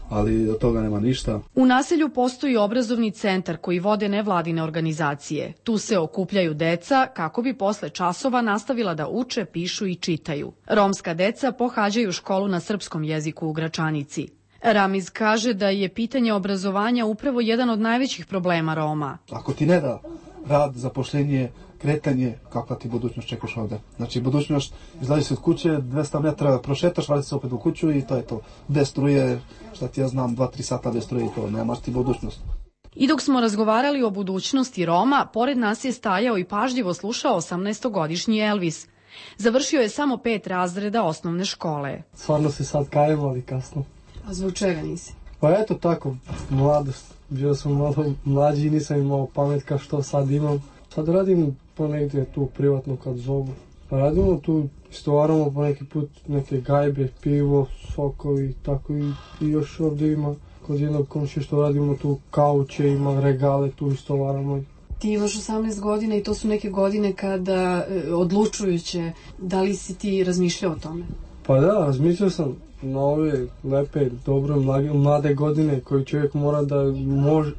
ali od toga nema ništa. U naselju postoji obrazovni centar koji vode nevladine organizacije. Tu se okupljaju deca kako bi posle časova nastavila da uče, pišu i čitaju. Romska deca pohađaju školu na srpskom jeziku u Gračanici. Ramiz kaže da je pitanje obrazovanja upravo jedan od najvećih problema Roma. Ako ti ne da rad, zapošljenje, kretanje, kakva ti budućnost čekaš ovde? Znači, budućnost, izlazi se od kuće, 200 metra prošetaš, vrati se opet u kuću i to je to. Bez struje, šta ti ja znam, 2-3 sata bez struje i to, nemaš ti budućnost. I dok smo razgovarali o budućnosti Roma, pored nas je stajao i pažljivo slušao 18-godišnji Elvis. Završio je samo 5 razreda osnovne škole. Stvarno se sad kajem, ali kasno. A zbog čega nisi? Pa eto tako, mladost. Bio sam malo mlađi i nisam imao pamet kao što sad imam. Sad radim ponegdje tu privatno kad zovu. Pa radimo tu, istovaramo po neki put neke gajbe, pivo, sokovi, tako i još ovdje ima kod jednog komšije što radimo tu kauče, ima regale, tu istovaramo. Ti imaš 18 godina i to su neke godine kada odlučujuće. Da li si ti razmišljao o tome? Pa da, razmišljao sam na ove lepe, dobre, mlade godine koje čovjek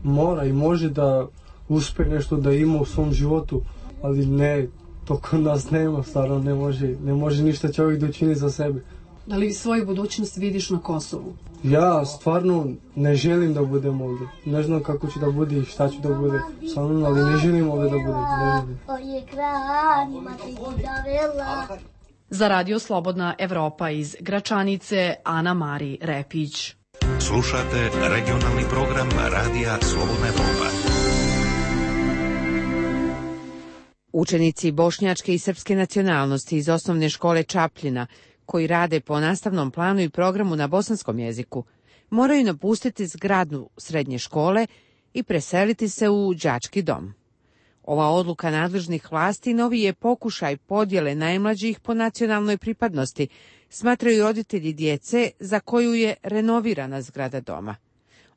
mora i može da uspe nešto da ima u svom životu, ali ne, to kod nas nema, stvarno ne može ništa čovjek da učini za sebe. Da li svoju budućnost vidiš na Kosovu? Ja stvarno ne želim da budem ovdje. Ne znam kako će da bude i šta će da bude sa mnom, ali ne želim ovdje da budem. Za Radio Slobodna Evropa iz Gračanice, Ana Mari Repić. Slušate regionalni program Radija Slobodna Evropa. Učenici bošnjačke i srpske nacionalnosti iz osnovne škole Čapljina, koji rade po nastavnom planu i programu na bosanskom jeziku, moraju napustiti zgradu srednje škole i preseliti se u đački dom. Ova odluka nadležnih vlasti novi je pokušaj podjele najmlađih po nacionalnoj pripadnosti, smatraju roditelji djece za koju je renovirana zgrada doma.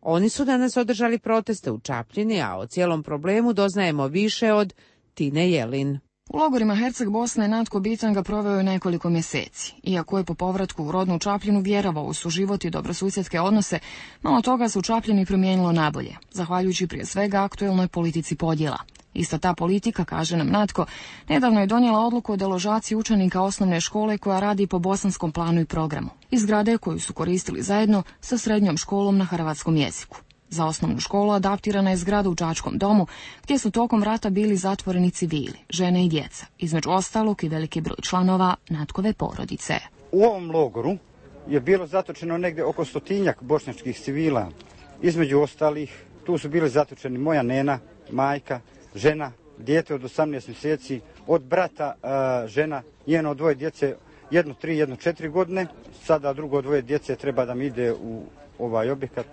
Oni su danas održali proteste u Čapljini, a o cijelom problemu doznajemo više od Tine Jelin. U logorima Herceg Bosne Natko Bitanga proveo je nekoliko mjeseci. Iako je po povratku u rodnu Čapljinu vjerovao u suživot i dobrosusjedske odnose, malo toga se u Čapljini promijenilo nabolje, zahvaljujući prije svega aktuelnoj politici podjela. Ista ta politika, kaže nam Natko, nedavno je donijela odluku o deložaciji učenika osnovne škole koja radi po bosanskom planu i programu, iz zgrade koju su koristili zajedno sa srednjom školom na hrvatskom jeziku. Za osnovnu školu adaptirana je zgrada u đačkom domu, gdje su tokom rata bili zatvoreni civili, žene i djeca, između ostalog i veliki broj članova Natkove porodice. U ovom logoru je bilo zatočeno negdje oko 100-tinjak bošnjačkih civila. Između ostalih, tu su bili zatočeni moja nena, majka, žena, dijete od 18 mjeseci, od brata žena, njeno 2 djece, 1 3, 1 4 godine. Sada drugo 2 djece treba da mi ide u ovaj objekat.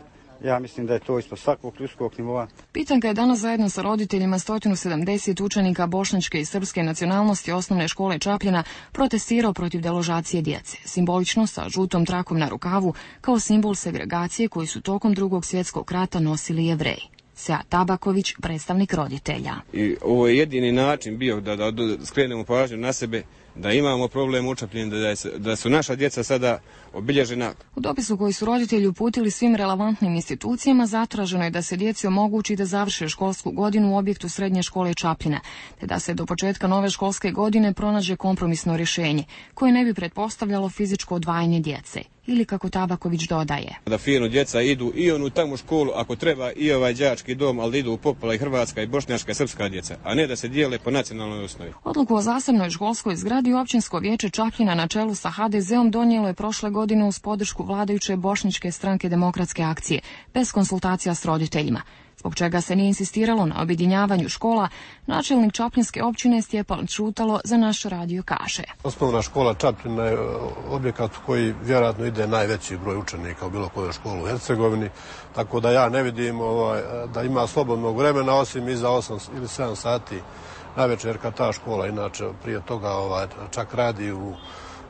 Ja mislim da je to ispod svakog ljudskog nivoa. Pitanka je danas zajedno sa roditeljima 170 učenika bošnjačke i srpske nacionalnosti osnovne škole Čapljina protestirao protiv deložacije djece, simbolično sa žutom trakom na rukavu, kao simbol segregacije koji su tokom Drugog svjetskog rata nosili Jevreji. Sead Tabaković, predstavnik roditelja. I ovo je jedini način bio da skrenemo pažnju na sebe, da imamo problem u Čapljini, da su naša djeca sada obilježena. U dopisu koji su roditelji uputili svim relevantnim institucijama zatraženo je da se djeci omogući da završe školsku godinu u objektu srednje škole Čapljina, te da se do početka nove školske godine pronađe kompromisno rješenje, koje ne bi pretpostavljalo fizičko odvajanje djece. Ili kako Tabaković dodaje. Da fino djeca idu i onu tamo školu, ako treba i ovaj đački dom, ali idu u popola i hrvatska i bošnjačka i srpska djeca, a ne da se dijele po nacionalnoj osnovi. Odluku o zasebnoj školskoj zgradi općinsko vijeće Čapljina na čelu sa HDZ-om donijelo je prošle godine uz podršku vladajuće bošnjačke stranke Demokratske akcije, bez konsultacija s roditeljima. Zbog čega se nije insistiralo na objedinjavanju škola, načelnik Čapljinske općine Stjepan Čutalo za naš radio kaže. Osnovna škola Čapljina je objekat u koji vjerojatno ide najveći broj učenika u bilo kojoj školi u Hercegovini, tako da ja ne vidim da ima slobodnog vremena osim iza 8 ili 7 sati navečer kad ta škola inače prije toga čak radi u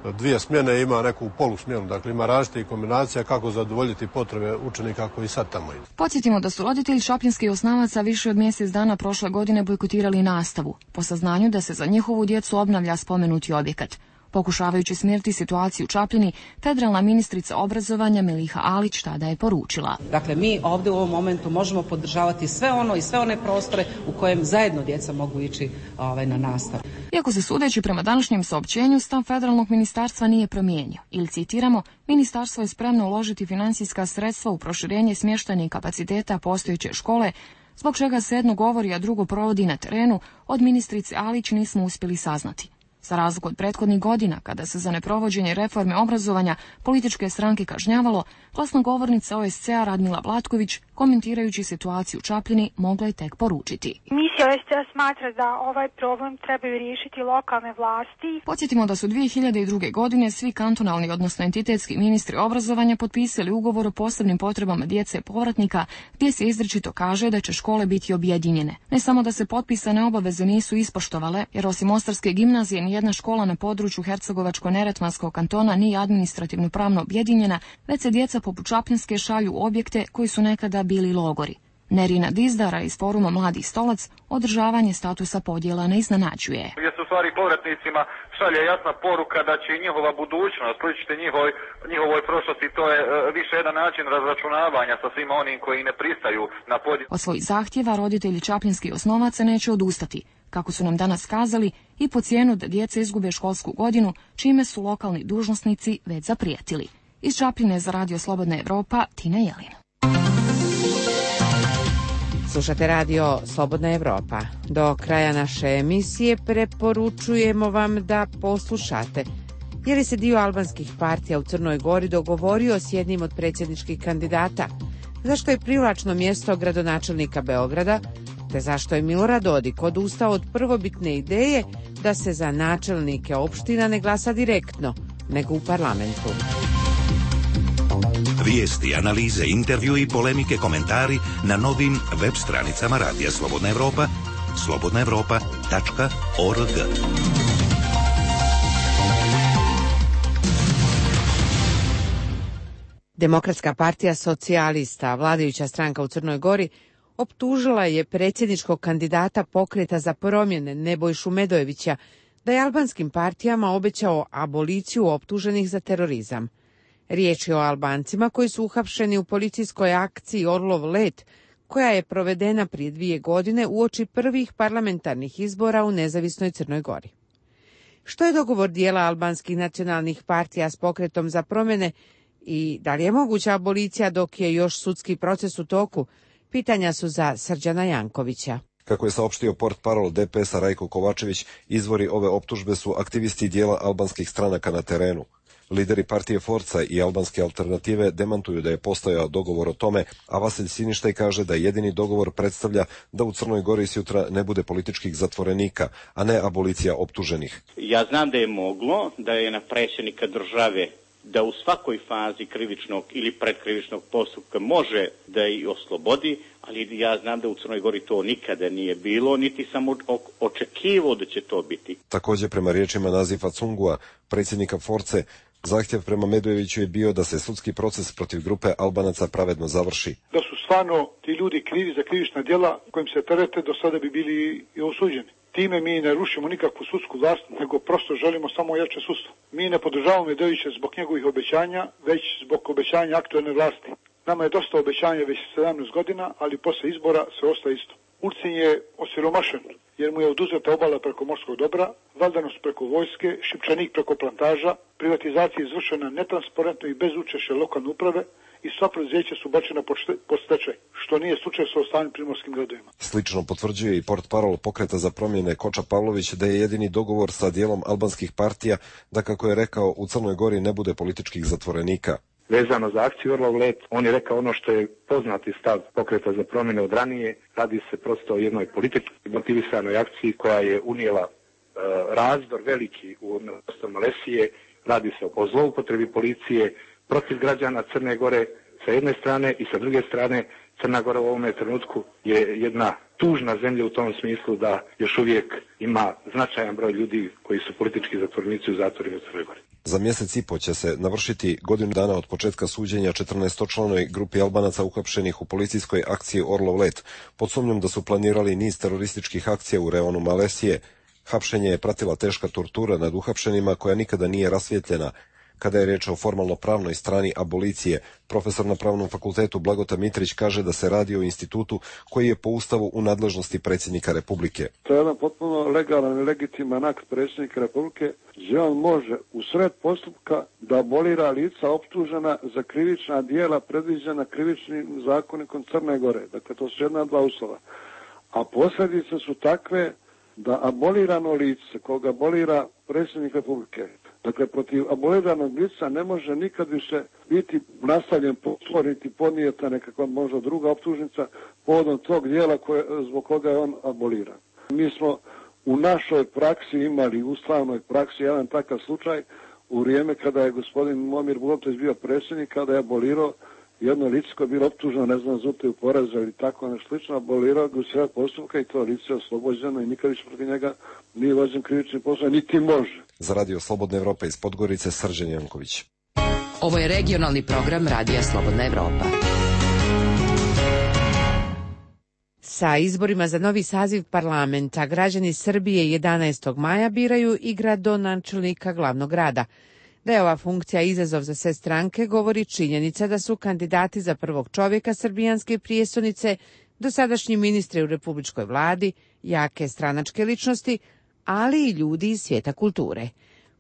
2 smjene, ima neku polusmjenu, dakle ima različitih kombinacija kako zadovoljiti potrebe učenika koji sad tamo idu. Podsjetimo da su roditelji čapljinskih osnavaca više od mjesec dana prošle godine bojkotirali nastavu, po saznanju da se za njihovu djecu obnavlja spomenuti objekat. Pokušavajući smiriti situaciju u Čapljini, federalna ministrica obrazovanja Miliha Alić tada je poručila. Dakle, mi ovdje u ovom momentu možemo podržavati sve ono i sve one prostore u kojem zajedno djeca mogu ići na nastavu. Iako se sudeći prema današnjem saopćenju, stav federalnog ministarstva nije promijenio. Ili citiramo, ministarstvo je spremno uložiti financijska sredstva u proširenje smještajnih kapaciteta postojeće škole, zbog čega se jedno govori, a drugo provodi na terenu, od ministrice Alić nismo uspjeli saznati. Za razliku od prethodnih godina, kada se za neprovođenje reforme obrazovanja političke stranke kažnjavalo, glasnogovornica OSCE-a Radmila Vlatković, komentirajući situaciju u Čapljini, mogla je tek poručiti. Misija OSCE smatra da ovaj problem trebaju riješiti lokalne vlasti. Podsjetimo da su 2002. godine svi kantonalni, odnosno entitetski ministri obrazovanja potpisali ugovor o posebnim potrebama djece povratnika, gdje se izričito kaže da će škole biti objedinjene. Ne samo da se potpisane obaveze nisu ispoštovale, jer osim Mostarske gimnazije nijedna škola na području Hercegovačko-Neretvanskog kantona nije administrativno pravno objedinjena, već se djeca poput Čapljinske šalju u objekte koji su nekada bili logori. Nerina Dizdara iz foruma Mladi stolac održavanje statusa podjela ne iznenađuje. Gdje se u stvari povratnicima šalje jasna poruka da će njihova budućnost sličiti njihovoj prošlosti, to je više jedan način razračunavanja sa svima onim koji ne pristaju na podjelu. Od svojih zahtjeva roditelji čapljinskih osnovaca neće odustati, kako su nam danas kazali, i po cijenu da djeca izgube školsku godinu, čime su lokalni dužnosnici već zaprijetili. Iz Čapljine za Radio Slobodna Evropa, Tina Jelin. Slušate Radio Slobodna Evropa. Do kraja naše emisije preporučujemo vam da poslušate, jer je se dio albanskih partija u Crnoj Gori dogovorio s jednim od predsjedničkih kandidata, zašto je privlačno mjesto gradonačelnika Beograda, te zašto je Milorad Dodik odustao od prvobitne ideje da se za načelnike opština ne glasa direktno, nego u parlamentu. Vijesti, analize, intervju i polemike, komentari na novim web stranicama Radija Slobodna Evropa, slobodnaevropa.org. Demokratska partija socijalista, vladajuća stranka u Crnoj Gori, optužila je predsjedničkog kandidata Pokreta za promjene Nebojšu Medojevića da je albanskim partijama obećao aboliciju optuženih za terorizam. Riječ je o Albancima koji su uhapšeni u policijskoj akciji Orlov let, koja je provedena prije 2 godine uoči prvih parlamentarnih izbora u nezavisnoj Crnoj Gori. Što je dogovor dijela albanskih nacionalnih partija s Pokretom za promjene i da li je moguća abolicija dok je još sudski proces u toku? Pitanja su za Srđana Jankovića. Kako je saopštio portparol DPS-a Rajko Kovačević, izvori ove optužbe su aktivisti dijela albanskih stranaka na terenu. Lideri partije Forca i albanske alternative demantuju da je postojao dogovor o tome, a Vasilj Siništaj kaže da jedini dogovor predstavlja da u Crnoj Gori sutra ne bude političkih zatvorenika, a ne abolicija optuženih. Ja znam da je moglo, da je na predsjednika države da u svakoj fazi krivičnog ili predkrivičnog postupka može da i oslobodi, ali ja znam da u Crnoj Gori to nikada nije bilo, niti sam očekivao da će to biti. Također, prema riječima Nazifa Cungua, predsjednika Force, zahtjev prema Medojeviću je bio da se sudski proces protiv grupe Albanaca pravedno završi. Da su stvarno ti ljudi krivi za krivična djela kojim se terete, do sada bi bili i osuđeni. Time mi ne rušimo nikakvu sudsku vlast, nego prosto želimo samo jače sudstvo. Mi ne podržavamo Medojevića zbog njegovih obećanja, već zbog obećanja aktualne vlasti. Nama je dosta obećanja već 17 godina, ali posle izbora sve ostaje isto. Ulcin je osiromašen, jer mu je oduzeta obala preko morskog dobra, valdanost preko vojske, Šipčanik preko plantaža, privatizacija izvršena netransparentno i bez učešća lokalne uprave i sva preduzeća su bačena pod stečaj, što nije slučaj sa ostalim primorskim gradovima. Slično potvrđuje i portparol Pokreta za promjene Koča Pavlović da je jedini dogovor sa dijelom albanskih partija da, kako je rekao, u Crnoj Gori ne bude političkih zatvorenika. Vezano za akciju Orlov let, on je rekao ono što je poznati stav Pokreta za promjene od ranije. Radi se prosto o jednoj politički motivisanoj akciji koja je unijela razdor veliki u prostor Malesije. Radi se o zloupotrebi policije protiv građana Crne Gore sa jedne strane i sa druge strane Crna Gora u ovome trenutku je jedna tužna zemlja u tom smislu da još uvijek ima značajan broj ljudi koji su politički zatvorenici u zatvorima u Crnoj Gori. Za mjesec i po će se navršiti godinu dana od početka suđenja 14-članoj grupi Albanaca uhapšenih u policijskoj akciji Orlov let, pod sumnjom da su planirali niz terorističkih akcija u reonu Malesije. Hapšenje je pratila teška tortura nad uhapšenima koja nikada nije rasvjetljena. Kada je riječ o formalno-pravnoj strani abolicije, profesor na Pravnom fakultetu Blagota Mitrić kaže da se radi o institutu koji je po Ustavu u nadležnosti predsjednika Republike. To je jedan potpuno legalan i legitiman akt predsjednika Republike, gdje on može u sred postupka da abolira lica optužena za krivična djela predviđena krivičnim zakonikom Crne Gore. Dakle, to su jedna dva uslova. A posljedice su takve da abolirano lice koga abolira predsjednik Republike, dakle, protiv aboliranog lica ne može nikad više biti nastavljen potvoriti podnijeta nekakva možda druga optužnica povodom tog dijela zbog koga je on aboliran. Mi smo u našoj praksi imali, u ustavnoj praksi, jedan takav slučaj u vrijeme kada je gospodin Momir Bulatović bio predsjednik, kada je abolirao jedno lice koje je bilo optuženo, ne znam, za utaju poreza ili tako nešto slično, abolirao ga u sred postupka i to lice je oslobođeno i nikad više protiv njega nije vođen krivični postupak, niti može. Za Radio Slobodna Evropa iz Podgorice, Srđan Janković. Ovo je regionalni program Radija Slobodna Evropa. Sa izborima za novi saziv parlamenta građani Srbije 11. maja biraju i gradonačelnika glavnog grada. Da je ova funkcija izazov za sve stranke govori činjenica da su kandidati za prvog čovjeka srbijanske prijestolnice dosadašnji ministri u republičkoj vladi, jake stranačke ličnosti, ali i ljudi iz svijeta kulture.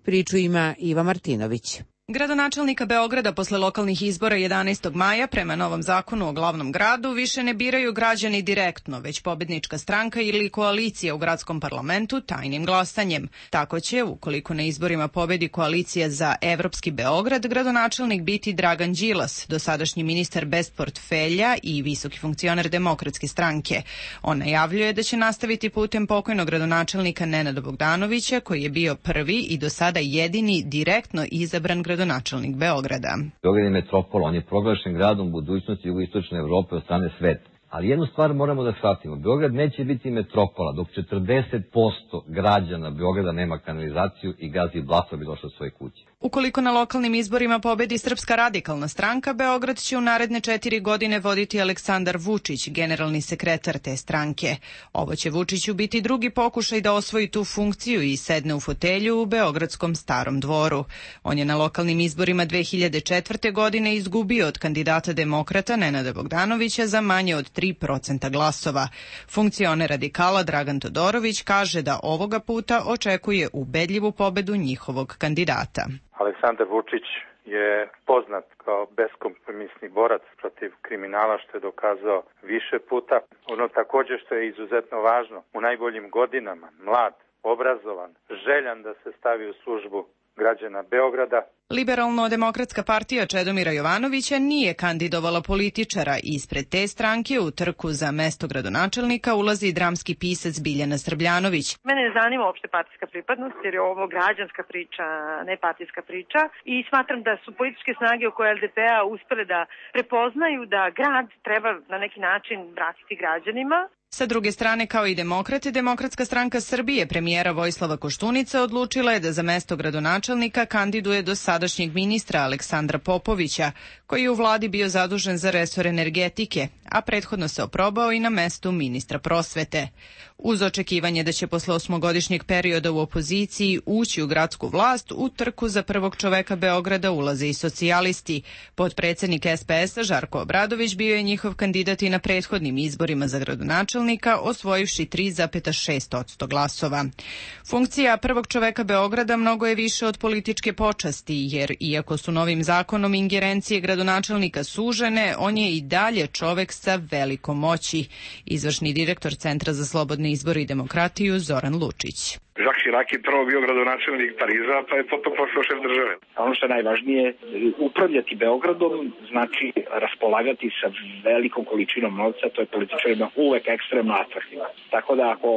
Priču ima Iva Martinović. Gradonačelnika Beograda posle lokalnih izbora 11. maja prema novom zakonu o glavnom gradu više ne biraju građani direktno, već pobednička stranka ili koalicija u gradskom parlamentu tajnim glasanjem. Tako će, ukoliko na izborima pobedi koalicija za Evropski Beograd, gradonačelnik biti Dragan Đilas, dosadašnji ministar bez portfelja i visoki funkcioner Demokratske stranke. On najavljuje da će nastaviti putem pokojnog gradonačelnika Nenada Bogdanovića, koji je bio prvi i do sada jedini direktno izabran gradonačelnik Beograda. Beograd je metropol, on je proglašen gradom budućnosti jugoistočne Evrope od strane sveta. Ali jednu stvar moramo da shvatimo. Beograd neće biti metropola dok 40% građana Beograda nema kanalizaciju i gaz i blato bi došlo svoje kuće. Ukoliko na lokalnim izborima pobedi Srpska radikalna stranka, Beograd će u naredne 4 godine voditi Aleksandar Vučić, generalni sekretar te stranke. Ovo će Vučiću biti drugi pokušaj da osvoji tu funkciju i sedne u fotelju u beogradskom Starom dvoru. On je na lokalnim izborima 2004. godine izgubio od kandidata demokrata Nenada Bogdanovića za manje od 3% glasova. Funkcioner radikala Dragan Todorović kaže da ovoga puta očekuje ubedljivu pobedu njihovog kandidata. Aleksandar Vučić je poznat kao beskompromisni borac protiv kriminala, što je dokazao više puta. Ono također što je izuzetno važno, u najboljim godinama, mlad, obrazovan, željan da se stavi u službu građana Beograda. Liberalno-demokratska partija Čedomira Jovanovića nije kandidovala političara i ispred te stranke u trku za mesto gradonačelnika ulazi dramski pisac Biljana Srbljanović. Mene ne zanima uopšte partijska pripadnost jer je ovo građanska priča, ne partijska priča i smatram da su političke snage oko LDP-a uspele da prepoznaju da grad treba na neki način vratiti građanima. Sa druge strane, kao i demokrate, Demokratska stranka Srbije premijera Vojislava Koštunica odlučila je da za mesto gradonačelnika kandiduje dosadašnjeg ministra Aleksandra Popovića, koji je u vladi bio zadužen za resor energetike, a prethodno se oprobao i na mestu ministra prosvete. Uz očekivanje da će posle 8-godišnjeg perioda u opoziciji ući u gradsku vlast, u trku za prvog čoveka Beograda ulaze i socijalisti. Potpredsednik SPS-a Žarko Obradović bio je njihov kandidat i na prethodnim izborima za gradonačelnika, osvojivši 3,6% glasova. Funkcija prvog čoveka Beograda mnogo je više od političke počasti, jer iako su novim zakonom ingerencije gradonačelnika sužene, on je i dalje čovek sa velikom moći. Izvršni direktor Centra za slobodne izbore i demokratiju Zoran Lučić. Jacques Chirac je prvo bio gradonačelnik Pariza, pa je potom postao šef države. Ono što je najvažnije, upravljati Beogradom znači raspolagati sa velikom količinom novca, to je političarima uvek ekstremno atraktivno. Tako da ako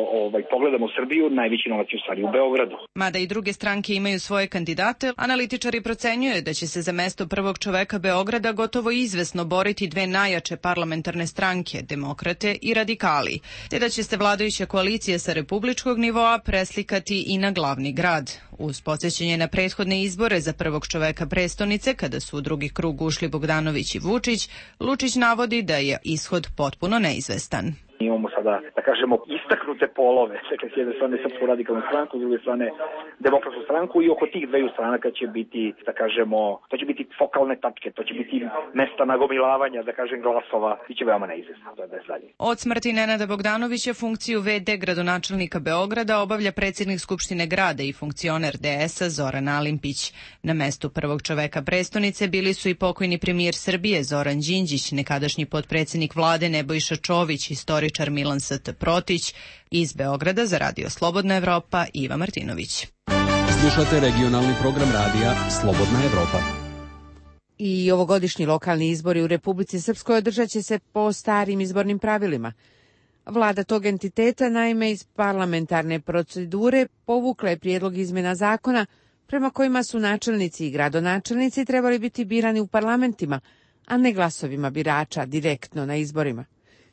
pogledamo Srbiju, najveći novac je u stvari u Beogradu. Mada i druge stranke imaju svoje kandidate, analitičari procenjuju da će se za mesto prvog čoveka Beograda gotovo izvesno boriti dve najjače parlamentarne stranke, demokrate i radikali, te da će se vladajuća koalicija sa republičkog nivoa preslikati i na glavni grad. Uz podsjećanje na prethodne izbore za prvog čoveka prestonice, kada su u drugi krug ušli Bogdanović i Vučić, Lučić navodi da je ishod potpuno neizvestan. Imamo sada, da kažemo, istaknute polove, dakle, s jedne strane Srpsku radikalnu stranku, s druge strane Demokratsku stranku i oko tih dveju stranaka će biti, da kažemo, to će biti fokalne tačke, to će biti mesta nagomilavanja, da kažem, glasova, i će veoma neizvesno, to je bez dalje. Od smrti Nenada Bogdanovića funkciju VD gradonačelnika Beograda obavlja predsjednik Skupštine grada i funkcioner DS-a Zoran Alimpić. Na mestu prvog čoveka prestonice bili su i pokojni premijer Srbije Zoran Đinđić, nekadašnji potpredsjednik vlade Nebojša Čović, istoričar Milan St. Protić. Iz Beograda za Radio Slobodna Evropa, Iva Martinović. Slušate regionalni program radija Slobodna Evropa. I ovogodišnji lokalni izbori u Republici Srpskoj održat će se po starim izbornim pravilima. Vlada tog entiteta, naime, iz parlamentarne procedure povukla je prijedlog izmjena zakona prema kojima su načelnici i gradonačelnici trebali biti birani u parlamentima, a ne glasovima birača direktno na izborima.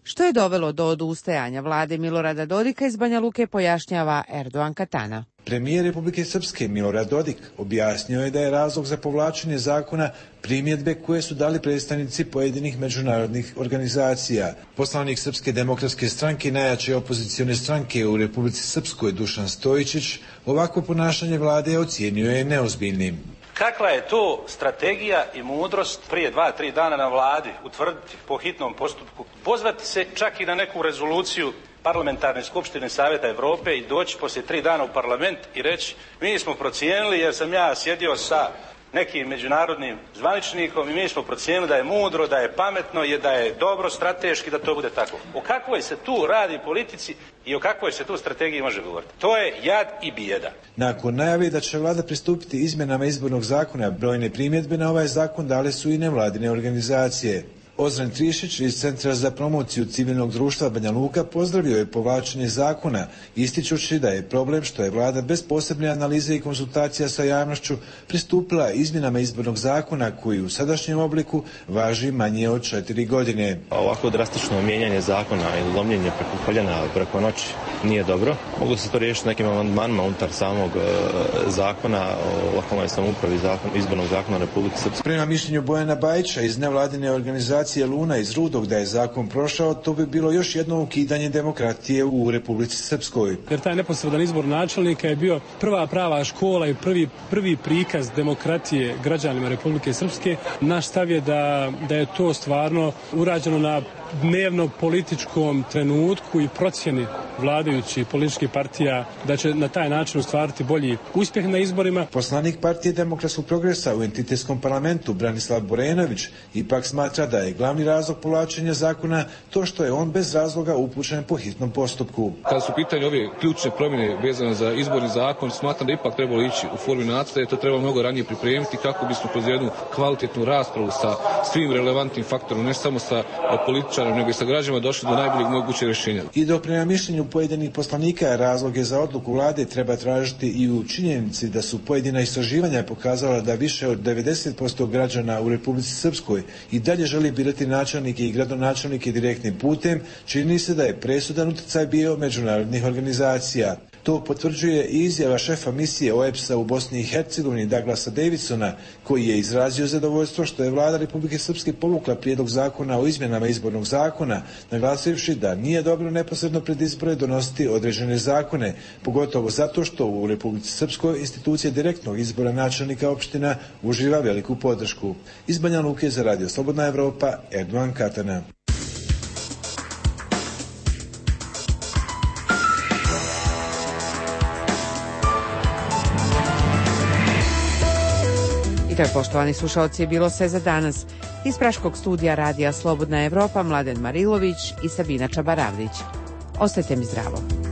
Što je dovelo do odustajanja vlade Milorada Dodika iz Banja Luke, pojašnjava Erdogan Katana. Premijer Republike Srpske Milorad Dodik objasnio je da je razlog za povlačenje zakona primjedbe koje su dali predstavnici pojedinih međunarodnih organizacija. Poslanik Srpske demokratske stranke, najjače opozicione stranke u Republici Srpskoj, Dušan Stojičić, ovako ponašanje vlade ocijenio je neozbiljnim. Kakva je to strategija i mudrost prije 2-3 dana na vladi utvrditi po hitnom postupku, pozvati se čak i na neku rezoluciju Parlamentarne skupštine Savjeta Evrope i doći poslije 3 dana u parlament i reći mi smo procijenili, jer sam ja sjedio sa nekim međunarodnim zvaničnikom i mi smo procijenili da je mudro, da je pametno i da je dobro strateški da to bude tako. O kakvoj se tu radi politici i o kakvoj se tu strategiji može govoriti? To je jad i bijeda. Nakon najave da će vlada pristupiti izmjenama izbornog zakona, brojne primjedbe na ovaj zakon dale su i nevladine organizacije. Ozren Trišić iz Centra za promociju civilnog društva Banja Luka pozdravio je povlačenje zakona, ističući da je problem što je vlada bez posebne analize i konsultacija sa javnošću pristupila izmjenama izbornog zakona koji u sadašnjem obliku važi manje od 4 godine. Ovako drastično mijenjanje zakona i lomljenje preko koljena preko noći nije dobro. Mogu se to riješiti nekim amandmanima unutar samog zakona o lokalnoj samoupravi, izbornog zakona u Republike Srpske. Prema mišljenju Bojana Bajića iz nevladine organizacije Luna iz Rudog da je zakon prošao, to bi bilo još jedno ukidanje demokratije u Republici Srpskoj. Jer taj neposredan izbor načelnika je bio prva prava škola i prvi prikaz demokratije građanima Republike Srpske. Naš stav je da je to stvarno urađeno na dnevno političkom trenutku i procjeni vladajućih političkih partija da će na taj način ostvariti bolji uspjeh na izborima. Poslanik Partije demokratskog progresa u entitetskom parlamentu Branislav Borenović ipak smatra da je glavni razlog povlačenja zakona to što je on bez razloga upućen po hitnom postupku. Kada su pitanje ove ključne promjene vezane za izborni zakon, smatram da ipak trebalo ići u formi nacrta, to treba mnogo ranije pripremiti kako bismo kroz jednu kvalitetnu raspravu sa svim relevantnim faktorom, ne samo sa političarima, nego i sa građanima došli do najboljeg mogućeg rješenja. I dok prema mišljenju pojedinih poslanika razloge za odluku vlade treba tražiti i u činjenici da su pojedina istraživanja pokazala da više od 90% građana u Republici Srpskoj i dalje želi birati načelnike i gradonačelnike direktnim putem, čini se da je presudan utjecaj bio međunarodnih organizacija. To potvrđuje i izjava šefa misije OEBS-a u Bosni i Hercegovini Douglasa Davidsona, koji je izrazio zadovoljstvo što je vlada Republike Srpske povukla prijedlog zakona o izmjenama izbornog zakona, naglasivši da nije dobro neposredno pred izbore donositi određene zakone, pogotovo zato što u Republici Srpskoj institucija direktnog izbora načelnika opština uživa veliku podršku. Iz Banja Luke za Radio Slobodna Evropa, Erdogan Katana. To je, poštovani slušalci, bilo sve za danas. Iz praškog studija Radija Slobodna Evropa Mladen Marilović i Sabina Čabaravlić. Ostajte mi zdravo.